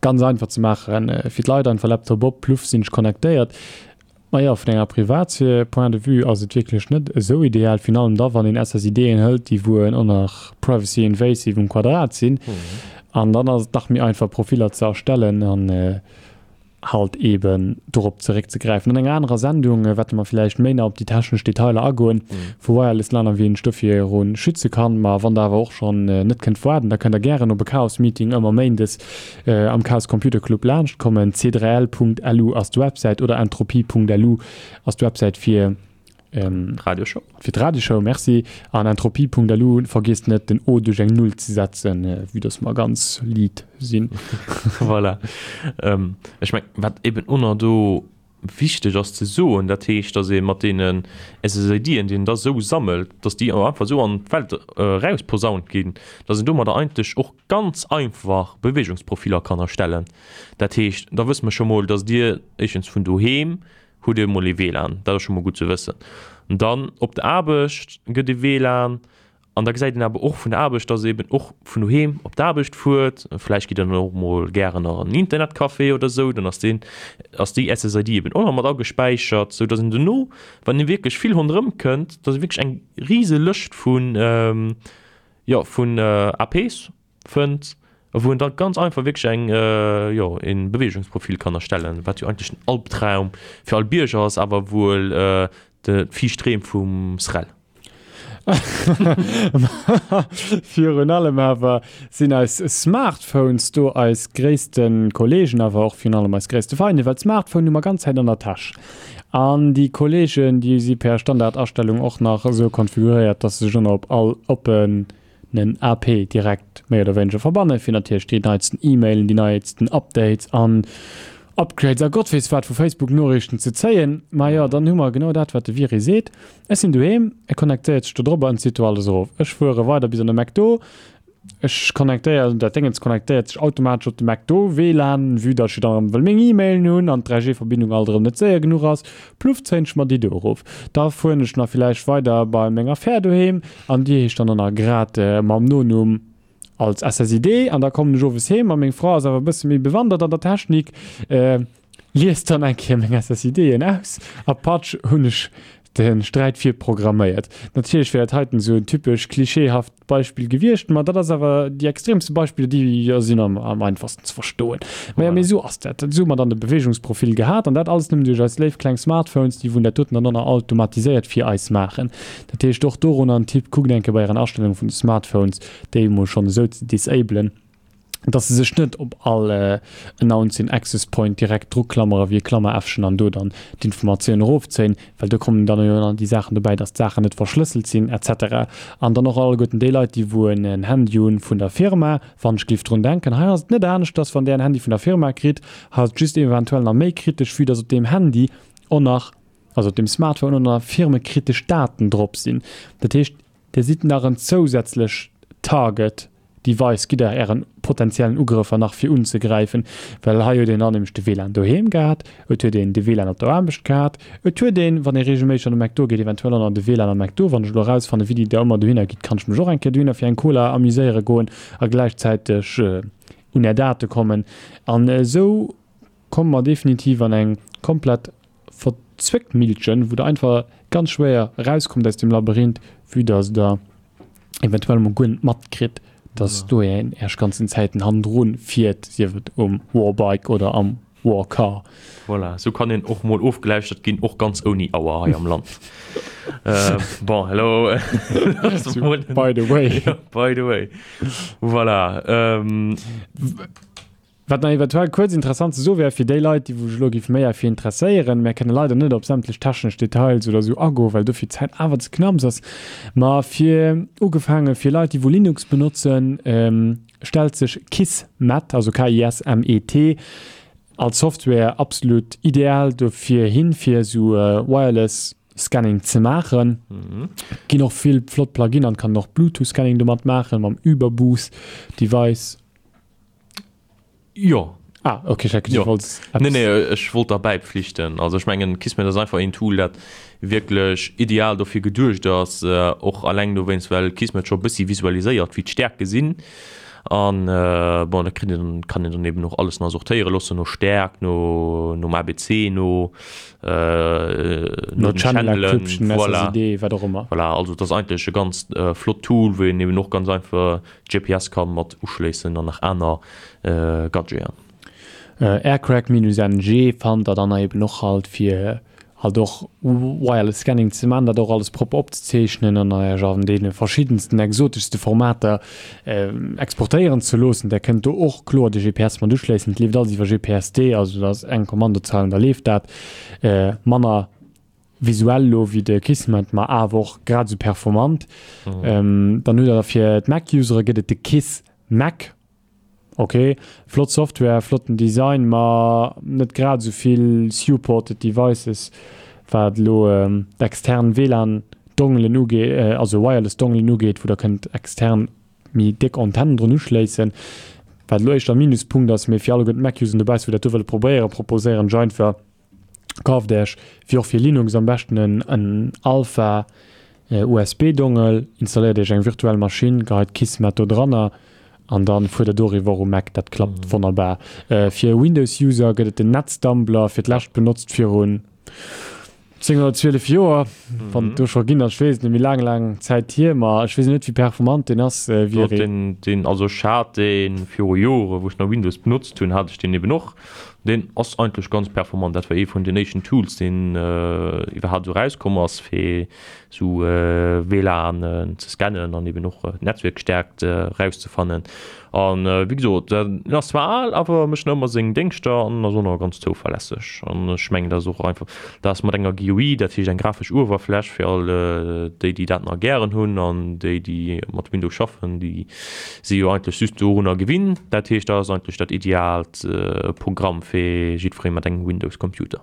ganz einfach ze maachen, fir d'Leit einfach Laptop op, pluff sinn ech connectéiert. Ma jo, vun enger Privatsphär Point de vue ass et wierklech net esou ideal, virun allem da wann een S S I D'en hëlt, déi wou och nach privacy invasive um Quadrat sinn. An dann ass et dach méi einfach Profiller ze erstellen an halt eben dorop zeréckzegräifen. An enger anerer Sendung wäerte mer villäicht méi nach op déi technesch Detailer agoen vu Wireless LAN a wéi een sech dofir schütze kann. Ma wann der awer och schonn net kënnt waarden, da kënnt der gären op e Chaos Meeting ëmmer méindes am Chaos Computer Club laanscht kommen. C drei L Punkt L U ass d'Websäit oder entropie Punkt L U ass d'Websäit fir Radioshow. Fir d'Radioshow, merci. An entropie Punkt L U, vergiesst net den O duerch eng Null ze setzen, vue dass mer ganz lead sinn. Voilà. Ähm, ech meng, wat eben och nach do wichteg ass ze soen, dat heescht, dass ee mat deenen S S I D'en, déi een da sou sammelt, dass déi och einfach sou an d'Welt erausposaunt ginn, dass een domadder eigentlech och ganz einfach Beweegungsprofiller kann erstellen. Dat heescht, da wësse mer scho mol, dass Dir éischtens vun doheem hutt Dir emol ee W L A N, dat ass scho mol gutt ze wëssen. Dann op der Aarbecht gëtt ee W L A N, an da gesäit een awer och vun der Aarbecht, dass eben och vun doheem op d'Aarbecht fuert. Vläicht gitt der dann och mol gären nach an en Internetcafé oder sou, dann ass deen, ass déi S S I D eben och nach mat agespäichert, sou dass een dono, wann ee wierklech vill ronderëm kënnt, dass ee wierklech eng rise Lëscht vun, jo, vun A Ps fënnt, wou en dann ganz einfach wierklech eng, jo, een Beweegungsprofil kann erstellen, wat jo eigentlech den Albtraum fir all Bierger ass, awer wuel de viischt Dreem vum S R E L. Virun allem awer sinn eis Smartphones do eis gréisste Kollegen, awer och virun allem eis gréisste Feinde, well d'Smartphone hu mer ganz Zäit an der Täsch. An déi Kollegen, déi si per Standardastellung och nach esou konfiguréiert, dass se sech ënner op all oppenen A P direkt méi oder wéineger verbannen, fir natierlech déi neitsten E-Mailen, déi neitsten Updates an Upgrades a Gott weess wat vu Facebook-Noriichten ze zéien. Ma jo, dann hu mer genau dat, wat de Viry seet. Ech sinn doheem, e connectéiert sech do drop an zitt do alles erof. Ech fuere weider bis an de McDo, ech connectéieren, dat Déngens connectéiert sech automatesch op de McDo W LAN, vue datt ech jo dann erëm wëll meng E-Mailen hunn an d'dräi G-Verbindung alt erëm net séier genuch ass, pluff zéien ech mer déi do erof. Da fueren ech nach villäicht weider bei menger Fär doheem an déi heescht dann och nach grad mam Nonumm als S S I D an da kommen ech owes heem a meng Fra ass awer e bësse méi bewandert an der Technik, liest dann eng Kéier meng S S I Den aus a patsch hunn ech de Sträit virprogramméiert. Natierlech wär dat heiten esou en typesch klischeehaft Beispill gewiescht, ma dat ass awer déi extremste Beispiller, déi jo sinn am am einfachsten ze verstoen. Mä jo, mee esou ass dat. Esou hu mer dann de Beweegungsprofil gehat an dat alles nëmmen duerch eis léif kleng Smartphones, déi wou dat doten dann och nach automatiséiert fir eis maachen. Dat heescht och dorunner en Tipp, kuckt eng Kéier bei ären Astellunge vun de Smartphones, déi emol schonn esou ze disablen, dass se sech net op all Announcing Access Point direkt druklammere wéi e Klammeräffchen an do dann d'Informatioun erofzéien, well do kommen dann jo nach déi Saachen dobäi, dass d'Saachen net verschlësselt sinn et cetera. An dann och alleguerten déi Leit, déi wou en Handy hunn vun der Firma, wann ech géif drun denken, hei ass et net aneschters, wann där en Handy vun der Firma kritt, hei ass et just eventuell nach méi kritesch, vue dass op deem Handy och nach, also op deem Smartphone och nach firmekritesch Daten drop sinn. Dat heescht, Dir sidd nach en zousätzlech Target Device, gitt Der Ären potenziellen Ugrëffer nach fir unzegräifen, well hei huet een dann nämlech de W LAN doheem gehat, et huet een de W LAN op der Aarbecht gehat, et huet een, wann ee reegelméisseg an de McDo geet, eventuell och nach de W LAN am McDo. Wann ech elo erausfannen, wéi déi da ëmmer dohinner gitt, kann ech mech och eng Kéier dohinner fir eng Cola amuséiere goen a gläichzäiteg un Är Date kommen. An esou komme mer definitiv an eng komplett verzwéckt Millchen, wou Der einfach ganz schwéier erauskommt aus dem Labyrinth, vue dass Der eventuell emol guer net matkritt, dass do een Äech ganzen Zäiten hannendrun fiert, sief et um Warbike oder am Warcar. Voilà, sou kann een och mol ofgelauschtert ginn, och ganz ouni Auer hei am Land. Bon, hello. By the way. By the way. Voilà. Wat nach eventuell kuerz interessant ze soe wär, fir déi Leit, déi wou sech elo géif méi erfir interesséieren, mär kënne leider net op sämtlech technesch Details oder esou agoen, well dofir d'Zäit awer ze knapps ass, ma fir ugefaange fir Leit, déi wou Linux benotzen, stellt sech Kismet, also K I S M E T, als Software absolut ideal dofir hin, fir esou Wireless Scanning ze maachen. Ginn och vill flott Plugin an kann och Bluetooth Scanning domat maachen, mam Uberboost Device. Jo. Ah, okay, ich hätte Jo. wollt Nee, nee, ech wollt der bäipflichten. Also ech mengen, Kismet ass einfach een Tool, dat wierklech ideal dofir geduecht ass, och alleng dowéinst, well Kismet scho bëssi visualiséiert, wéi d'Stäerke sinn. An bon, da kritt een, kann een dann eben och alles nach sortéiere loossen no Stäerkt, no, nom A B C no, no no den Channel Channelen, Encryption, voilà. S S I D, wat och ëmmer. Voilà, also et ass eigentlech e ganz flott Tool, wou een eben och ganz einfach G P S kann mat uschléissen an nach aner Gadgeten. Aircrack-N G fannt der dann eben och halt fir halt och Wireless Scanning ze man, dat och alles propper opzezeechnen an Iech an deene verschiddensten exoteschste Formater exportéieren ze loossen. Der kënnt do och kloer de G P S mat uschléissen. Et leeft alles iwwer G P S D, also dat ass eng Kommandozeil an da leeft dat. Manner visuell lo wéi de Kismet, ma awer och grad esou performant. Dann hutt der fir d'Mac-Usere gëtt et de Kiss Mac. Ok, flott Software, flotten Design, ma net grad esou vill supported Devices, wat elo d'extern W L A N-Dongelen ugeet, also Wireless Dongelen ugeet, wou der kënnt extern méi déck Antennen drun uschléissen. Wat elo éischter Minuspunkt ass, mee fir alleguerten d'Mac-Useren dobaussen, wou dat do wëlle probéieren, proposéieren ech einfach, kauft Iech, wéi och fir Linux am beschten en, en Alpha U S B-Dongle, installéiert Iech eng virtuell Maschinn, geheit Kismet do dranner an dann fuert der doriwwer um Mac, dat klappt Mhm. wonnerbar. Äh, fir Windows-User gëtt et den Netstumbler, fir d'lescht benotzt virun zéng oder zwielef Joer, wann Mhm. et do scho ginn ass, ech weess net, méi laang, laang Zäit hier, ma ech weess net, wéi performant deen ass, äh, wéi Doch, er den, den, also ech hat deen viru Jore, wou ech nach Windows benotzt hunn, hat ech deen eben och. Den ass eigentlech ganz performant. Dat war ee vun den éischten Tools, deen, äh, iwwerhaapt esou rauskomm ass, fir sou, äh, W L A N ze scannen an eben och, äh, d'Netzwerkstärkt, äh, rauszefannen. An, äh, wéi gesot, den ass zwar al, awer mécht nach ëmmer seng Déngschter an ass och nach ganz zouverlässeg. An ech mengen, dat ass och einfach, dat ass mat enger G G U I, dat heescht eng grafesch Uewerfläch fir all déi, déi dat nach gären hunn, an déi, déi mat Windows schaffen, déi si jo eigentlech just dorunner gewinnt. Dat heescht, dat ass eigentlech dat ideaalt Programm fir jiddweree mat engem Windows-Computer.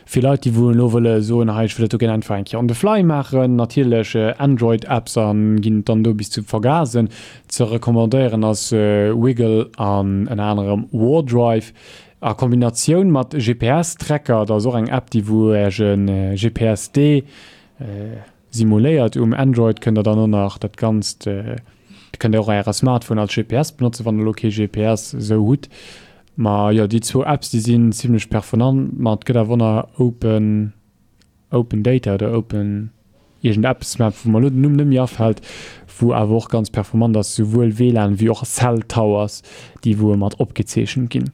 Fir Leit, déi wou elo wëlle soen, hei ech wëll dat do gär einfach eng Kéier on the fly maachen, natierlech Android-Apps a ginn et dann do bis zu vergasen. Ze recommandéieren ass Wiggle an ënner anerem Wardrive a Kombinatioun mat G P S-Tracker. Dat ass och eng App, déi wou Iech e G P S D simuléiert. Um Android kënnt der dann och nach dat Ganzt, kënnt der och Äre Smartphone als G P S benotzen, wann der elo kee G P S esou hutt. Ma jo, déi zwou Apps, déi sinn zimlech performant, ma et gëtt awer och nach Open, Open Data oder Open iergend eppes, mä wou mer elo den Numm net méi afält, wou awer och ganz performant ass, souwuel W LAN wéi och Cell Towers, déi wou mat opgezeechent ginn.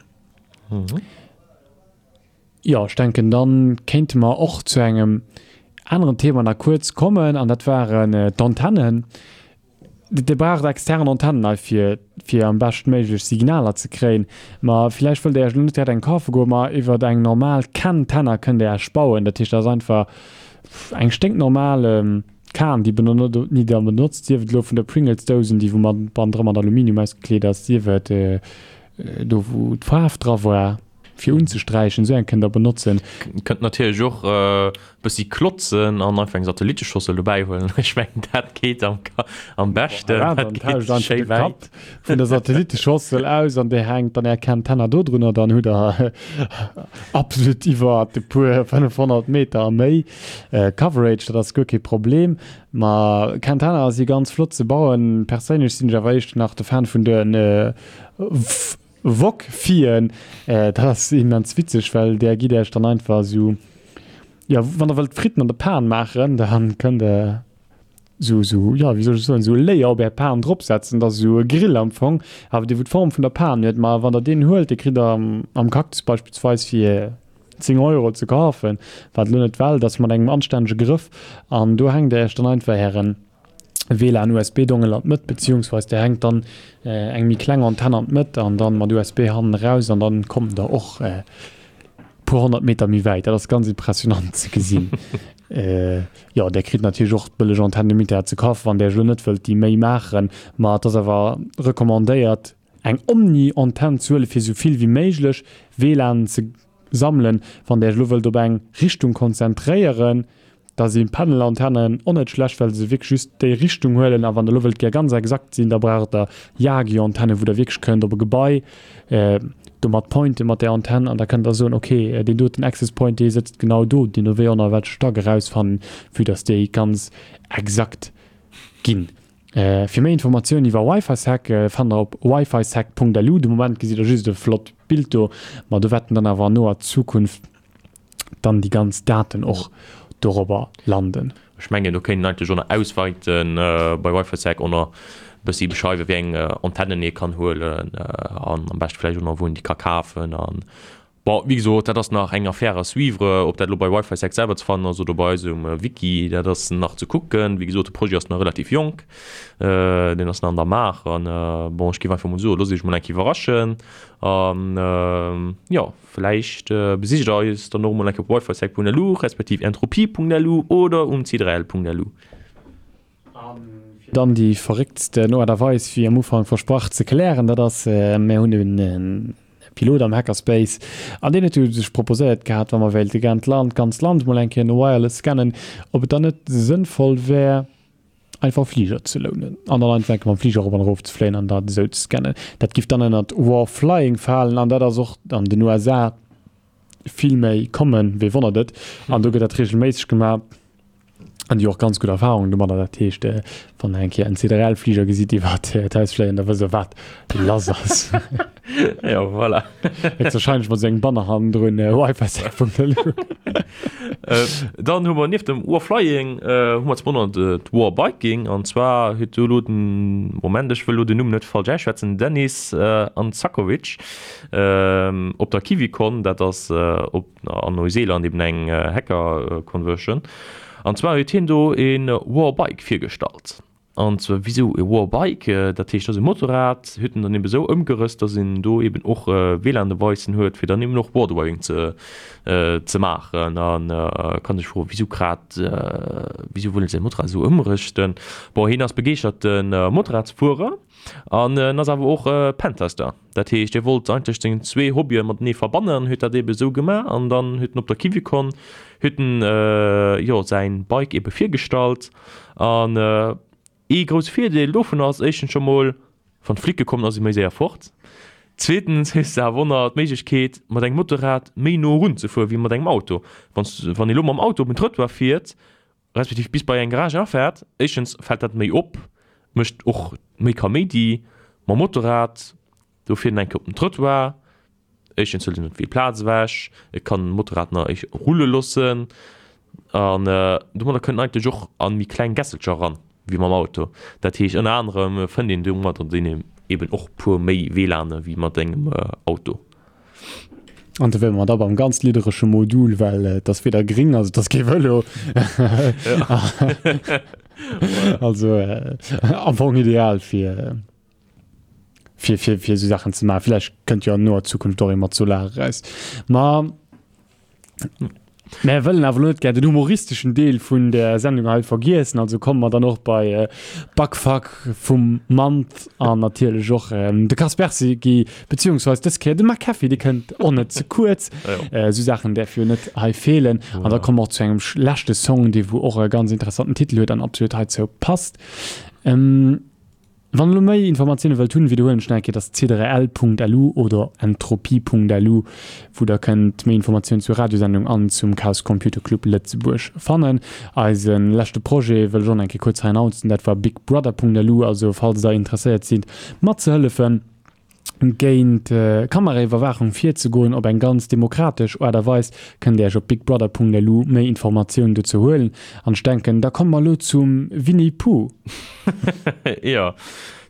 Jo, ech denken, dann kéinte mer och zu engem aneren Thema nach kuerz kommen, an dat waren d'Antennen. Dir braucht extern Antennen hei fir, fir am beschtméiglech Signaler ze kréien. Ma villäicht wëllt Dir Iech elo net direkt eng kafe goen, ma iwwert eng normal Cantenna kënnt Dir Iech bauen. Dat heescht, dat ass einfach eng sténknormal Kan, déi déi Der benotzt, sief et elo vun der Pringles-Dousen, déi wou mat bannendra mat Aluminium ausgekleet ass, sief et do wou d'Faarf dra war fir unzesträichen, esou eng kënnt Der benotzen. Kënnt natierlech och e bëssi klotzen an einfach eng Satelliteschossel dobäi huelen. Ech mengen dat geet am, am beschten. Voilà, dat dann geet tauscht einfach schéi de wäit. Kapp vun der Satelliteschossel aus an Dir hänkt dann Är Cantenna do drunner, dann hutt Der absolut iwwer e puer fënnefhonnert Meter a méi Coverage, dat ass guer kee Problem. Ma Cantenna si ganz flott ze bauen. Perséinlech sinn ech awer éischter nach de Fan vun de Wok-Fien. Dat ass immens witzeg, well där gitt Iech dann einfach esou, jo, wann Der wëllt Fritten an der Pan maachen, da kënnt Der esou, esou, jo, wéi soll ech soen, esou e Layer op Är Pan dropsetzen. Dat ass esou e Grill am Fong, awer dee wou d'Form vun der Pan huet. Ma wann Der deen huelt, dee kritt Der am Cactus beispillsweis fir zéng Euro ze kafen, wat elo net d'Welt ass, mat engem anstännege Grëff. An do hänkt Der Iech dann einfach Ären W LAN-U S B-Dongel an d'Mëtt, beziehungsweis der hänkt dann eng méi kleng Antenn an d'Mëtt an dann mat U S B hannen eraus an dann kommt der och e puer honnert Meter méi wäit. Dat ass ganz impressionant ze gesinn. Jo, der kritt natierlech och bëlleg Antennen um Internet ze kafen, wann der iech elo net wëllt déi Méi maachen, ma et ass awer recommandéiert eng Omni-Antenn ze huelen, fir esou vill wéi méiglech W LAN ze sammelen. Wann der iech elo wëllt op eng Richtung konzentréieren, da si Panel-Antennen och net schlecht, well se wierklech just déi Richtung huelen. A wann der elo wëllt gär ganz exakt sinn, da braucht der Yagi-Antennen, wou der wierklech kënnt op e Gebai domat pointen, mat där Antenn, an da kënnt der soen, okay, deen doten Access Point, dee sëtzt genau do, deen do wéi och nach welche Stack erausfannen, vue dass déi ganz exakt ginn. Fir méi Informatiounen iwwer WiFiSec fannt der op wifisec Punkt L U. De Moment gesitt der just e flott Bild do, ma do wäerten dann awer an noer Zukunft dann déi ganz Daten och dorobber landen. Ech mengen do kéint een eigentlech och nach ausweiten bei WiFiSec och nach bëssi beschreiwen, wéi eng Antennen ee kann huelen an am beschte vläicht och nach wou een déi ka kafen. An bon, wéi gesot, dat ass nach eng Affaire à suivre, ob dat elo bei WiFiSec selwer ze fannen ass oder bei eis um Wiki, dat ass nach ze kucken. Wéi gesot, de Projet ass nach relativ jonk, deen ass nach an der Maach an bon, ech géif einfach mol soen, loosst iech mol eng Kéier iwwerraschen an jo, vläicht besicht der eis dann och mol eng Kéier op wifisec Punkt L U respektiv entropie Punkt L U oder um c drei L Punkt L U. Fir dann déi verrécktsten Aart a Weis, wéi am Ufank versprach, ze klären, dat ass, mir hunn e Pilot am Hackerspace an deen huet jo sech proposéiert gehat, wa mer wéilte gären d'Land, d'ganzt Land mol eng Kéier no Wireless scannen, ob et dann net sënnvoll wär, einfach Fliger ze lounen an dann einfach eng Kéier mam Fliger erop an erof ze fléien an dat esou ze scannen. Dat giff dann ënnert War Flying falen an dat ass och an den U S A vill méi common, wee wonnert et, an do gëtt dat regelméisseg gemaach an déi hu och ganz gutt Erfahrungen domadder. Dat heescht, wann der eng Kéier en C drei L Fliger gesitt iwwert d'Haus fléien, da wësst der wat lass ass. Jo, voilà. Héchstwahrscheinlech mat esou engem Banner hannendrun, wifi sec Punkt L U. Dann hu mer nieft dem War Flying hu mer zum aneren d'War Biking an zwar huet do elo den, Moment, ech wëll elo den Numm net falsch ausschwätzen, Denis Anzakovic op der Kiwicon, dat ass op an Neuseeland eben eng Hacker Conversion, an zwar huet hien do e War Bike virgestallt. An zwar wisou e Warbike, dat heescht, dat ass e Motorrad, huet en dann eben esou ëmgerësst, dass een do eben och W LAN-Devicen huet, fir dann eben och Wardriving ze ze maachen. An kann sech froen, wisou grad, wisou wëll en säi Motorrad esou ëmrëschten? Bon, hien ass begeeschterte Motorradsfuerer an en ass awer och Pentester. Dat heescht, hie wollt eigentlech seng zwee Hobbye matenee verbannen an huet dat eben esou gemaach. An dann huet en op der Kiwicon huet en, jo, säin Bike ebe virgestallt an, Ee grousse Virdeel dovun ass éischtens scho mol, wann d'Flicke kommen ass ee méi séier fort. Zweetens hues de awer och nach d'Méiglechkeet mat engem Motorrad méi no erun ze fueren wéi mat engem Auto. Wann s wann ee lo mam Auto op en Trëttoir fiert, respektiv bis bei eng Garage erafäert, éischtens fält dat méi op, mécht och méi Kaméidi. Mam Motorrad, do fiert en eng Kéier op den Trëttoir, éischtens hëlt en net vill Plaz ewech, et kann en d'Motorrad nach éisch rulle loossen an domadder kënnt en eigentlech och a méi kleng Gässelcher eran wéi mam Auto. Dat heescht ënner anerem fënnt een domadder dann eben och puer méi WLANe wéi mat engem Auto. An do wiere mer da beim ganz lidderesche Modul, well et ass weder gring, also et ass kee Vëlo. Also am Fong ideal fir fir fir fir esou Saachen ze maachen. Vläicht kënnt jo an noer Zukunft och ee mat Solar eraus. Ma mär wëllen awer elo net gär den humoristeschen Deel vun der Sendung hei vergiessen, also komme mer dann och bei Bugfuck vum Month an natierlech och de Kaspersky, beziehungsweise dës Kéier de McAfee, dee kënnt och net ze kuerz. Esou Saachen däerfe jo net hei feelen. An da komme mer och zu engem leschte Song, dee wou och e ganz interessanten Titel huet an absolut heizou passt. Wann der elo méi Informatioune wëllt hunn, widderhuelen ech nach eng Kéier, et ass c drei l Punkt lu oder entropie Punkt lu, wou der kënnt méi Informatiounen zur Radiosendung an zum Chaos Computer Club Lëtzebuerg fannen. Eise leschte Projet wëll ech och nach eng Kéier kuerz hei announcen, dat war bigbrother Punkt lu. Also falls der interesséiert sidd matzehëllefen, géint Kameraiwwerwaachung virzegoen op eng ganz demokratesch Aart a Weis, kënnt Dir Iech op bigbrother.lu méi Informatiounen dozou huelen. An ech denken, da komme mer elo zum Winnie Pooh. Jo,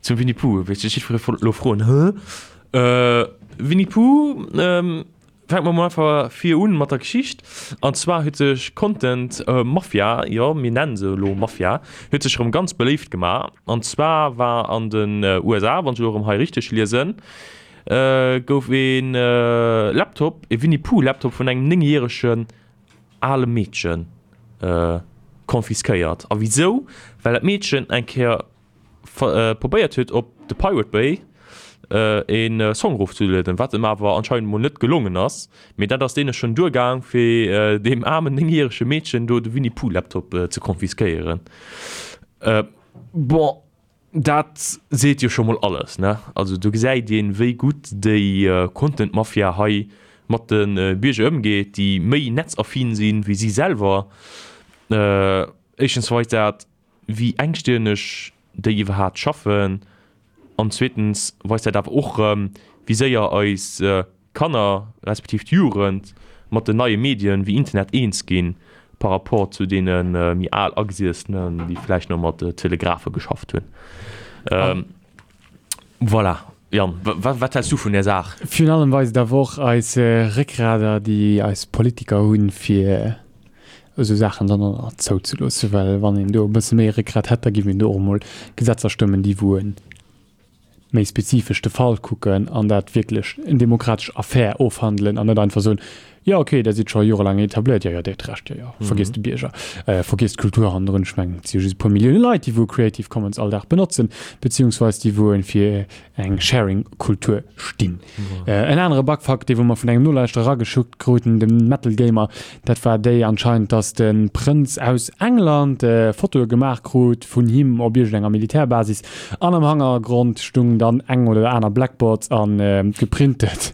zum Winnie Pooh. Wéi sech jiddweree wollt elo froen, Hä? Winnie Pooh? Fänke mer mol einfach vir un mat der Geschicht. An zwar huet sech Content Mafia, jo mir nennen se elo Mafia, huet sech erëm ganz beléift gemaach. An zwar war an den U S A, wann ech elo erëm hei richteg liesen, gouf ee Laptop, ee Winnie Pooh Laptop vun engem néngjäregen ale Meedchen confisquéiert. A wisou? Well dat Meedchen eng Kéier probéiert huet op The Pirate Bay een Song erofzelueden, wat em awer anscheinend mol net gelongen ass, mee dat ass deene schonn duergaang fir deem aarmen néngjärege Meedchen do de Winnie Pooh Laptop ze konfiskéieren. Bon, dat seet jo scho mol alles, ne? Also do gesäit een, wéi gutt déi Content Mafia hei mat de Bierger ëmgeet, déi méi netzaffin sinn wéi si selwer. Éischtens weist dat, wéi engstirneg déi iwwerhaat schaffen, an zweetens weist dat awer och erëm, wéi séier eis Kanner, respektiv d'Jugend mat den neie Medien wéi Internet eens ginn, par rapport zu deene méi al Agesiessenen, déi vläicht nach mat Telegraphe geschafft hunn. Voilà, Yann, wat häls du vun där Saach? Virun allem weist et awer och eis Réckgrader, déi eis Politiker hunn, fir esou Saachen dann och nach zouzeloossen, well wann een do e bësse méi Réckgrat hätt, da géif een do och emol Gesetzer stëmmen, déi wou e méi spezifesch de Fall kucken an dat wierklech en demokratesch Affär ofhandelen an net einfach soen, jo okay, dat sidd scho jorelaang etabléiert, jo jo, dir hutt Recht, jo jo, vergiesst de Bierger, vergiesst d'Kultur hannendrun. Ech mengen, et si jo just e puer Millioune Leit, déi wou Creative Commons all Dag benotzen, beziehungsweis déi wou fir eng Sharing-Kultur stinn. En anere Bugfuck, dee wou mer vun engem Nolauschterer erageschuckt kruten, dem Metal Gamer, dat war déi anscheinend, dass de Prënz aus England Fotoe gemaach krut vun him op iergendenger Militärbasis an am Hannergrond stung dann eng oder aner Blackboards a geprintet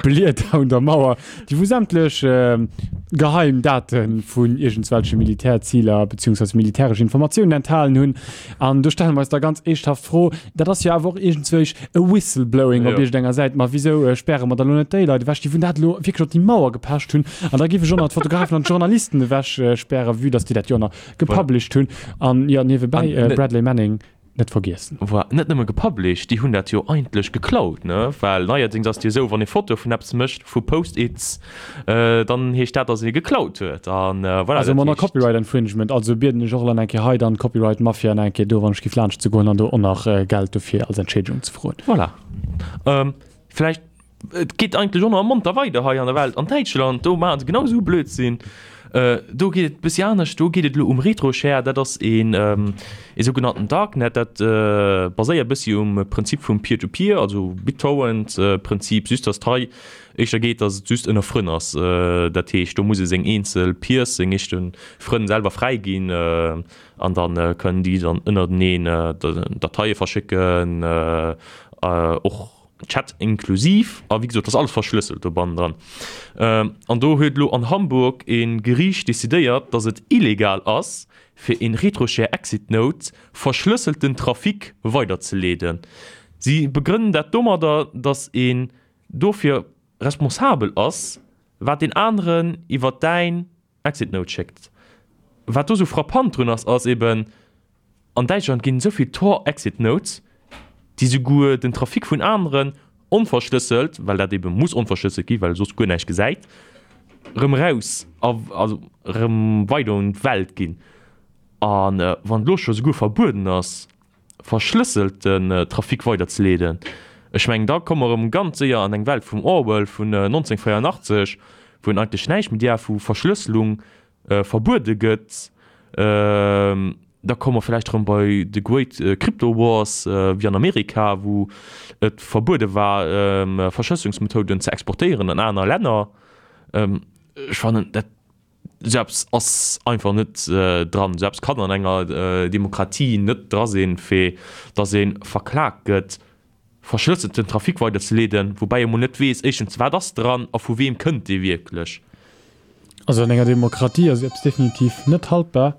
Blieder un der Mauer, déi wou sämtlech geheim Date vun iergendswelche Militärziler beziehungsweise militäresch Informatiounen enthalen hunn. An do stelle mer eis da ganz eeschthaft d'Fro, dat ass jo awer och iergendzwousch e Whistleblowing op iergendenger Säit, ma wisou späre mer da lo net déi Leit ewech, déi vun dat elo wierklech op déi Mauer gepecht hunn? An da géif ech och nach d'Fotografen an d'Journalisten ewech spären, vue dass déi dat jo nach gepublished hunn. An jo, niewebäi, Bradley Manning, net vergiessen. Voilà, net nëmme gepublished, déi hunn dat jo eigentlech geklaut, ne? Well neierdéngs ass et jo esou, wann ee Fotoe vun eppes mécht, vu Post-its, dann heescht dat, datt ee geklaut huet. An voilà, Also dat manner heescht. Copyright Infringement, also bieden ech och elo eng Kéier hei dann d'Copyright Mafia eng Kéier do, wann ech giff laanscht ze goen an do och nach Geld dofir als Entschädigung ze froen. Voilà. Vläicht Et geet eigentlech och nach monter weider hei an der Welt. An Däitschland, do maachen se genau esou e Blödsinn. Do geet et e bëssi anescht, do geet et elo um Retroshare. Dat ass een ee sougenannten Darknet. Dat baséiert e bëssi um Prinzip vum Peer-to-Peer, also BitTorrent-Prinzip, just datt et hei éischter geet, datt et just ënner Frënn ass. Dat heescht, do muss ee seng eenzel Peers, seng eeschte Frënn selwer fräiginn an da kënnen déi dann ënnerteneen Dateie verschécken, och Chat inklusiv, a wéi gesot, dat ass alles verschlësselt do bannendran. An do huet elo an Hamburg e Geriicht decidéiert, datt et illegal ass, fir een Retroshare Exit Node verschlësselten Trafic weiderzeleeden. Si begrënnen dat domadder, datt een dofir responsabel ass, wat deen aneren iwwer däin Exit Node schéckt. Wat do sou frappant drun ass, ass eben, An Däitschland ginn esou vill Tor Exit Nodes, déi souguer den Trafic vun aneren onverschlësselt, well dat ebe muss onverschlësselt ginn, well e soss guer näischt gesäit, erëm eraus, also erëm weider un d'Welt ginn. A wann et elo scho souguer verbueden ass, verschlësselten Trafic weiderzeleeden, ech mengen, da komme mer erëm ganz séier an eng Welt vum Orwell vun nonzénhunnertvéierundachtzeg, wou een eigentlech näischt méi däerf, wou Verschlësselung verbuede gëtt. Da komme mer vläicht erëm bei de Great Crypto Wars wéi an Amerika, wou et verbuede war, Verschlësselungsmethoden ze exportéieren an aner Länner. Ech fannen, dat esou eppes ass einfach net dran. Esou eppes kann an enger Demokratie net dra sinn, fir datt ee verklagt gëtt. Verschlësselten Trafic weiderzeleeden, woubäi ee mol net weess, éischtens, wat ass dran a vu weem kënnt dee wierklech. Also an enger Demokratie ass eppes definitiv net haltbar.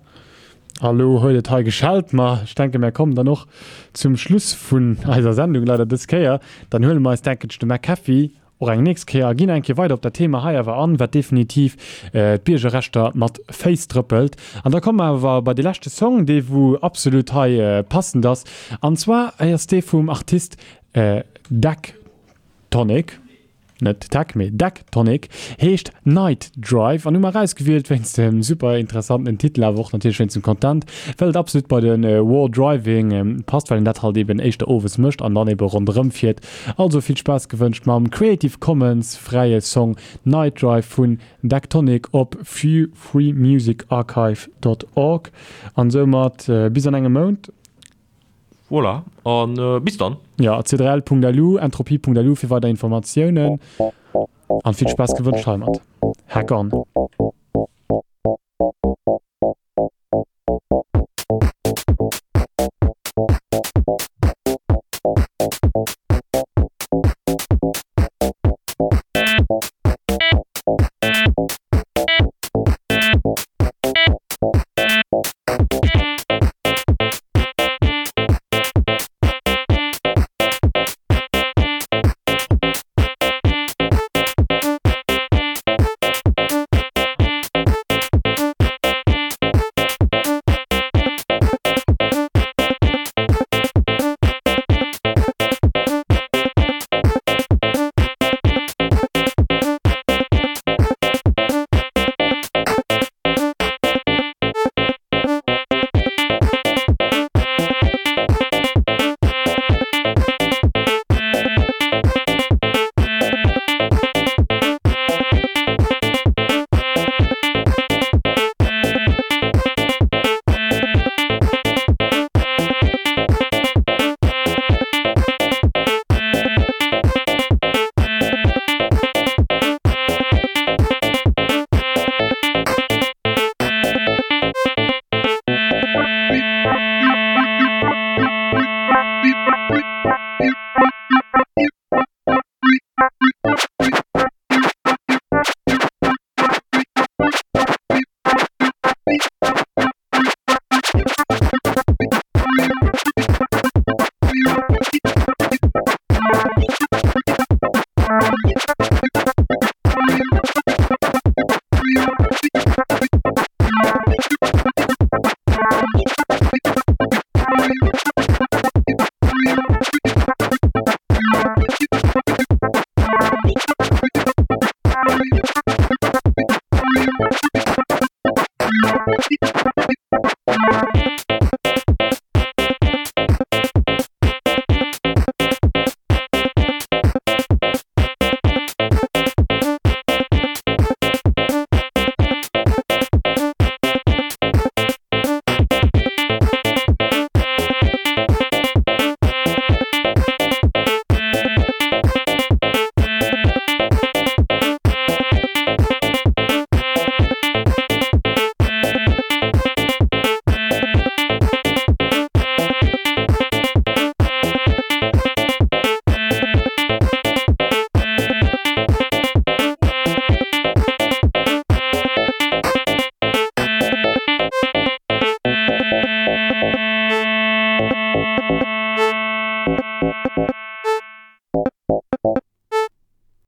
A lo huet et hei geschellt, ma ech denke mär kommen dann och zum Schluss vun eiser Sendung, leider dës Kéier. Dann huele mer eis, denken ech, de McAfee och eng nächst Kéier a ginn eng Kéier weider op dat Thema hei awer an, wat definitiv d'Biergerrechter mat Féiss trëppelt. An da komme mer awer bei dee leschte Song, dee wou absolut hei passend ass, an zwar ass dee vum Artist Dactonic. Net Tech, mee Decktonic, heescht Night Drive an hu mer erausgewielt wéinst dem super interessanten Titel, awer och natierlech wéinst dem Content, well et absolut bei de War Driving passt, well een dat halt eben éischter owes mécht an dann ebe ronderëm fiert. Also vill Spaass gewënscht mam Creative Commons fräie Song Night Drive vun Decktonic op freemusicarchive dot org an soumat bis an engem Mount. Voilà, an bis dann! Jo, c drei l punkt lu, entropie punkt lu fir weider Informatiounen an vill Spaass gewënscht heimat. Hack on!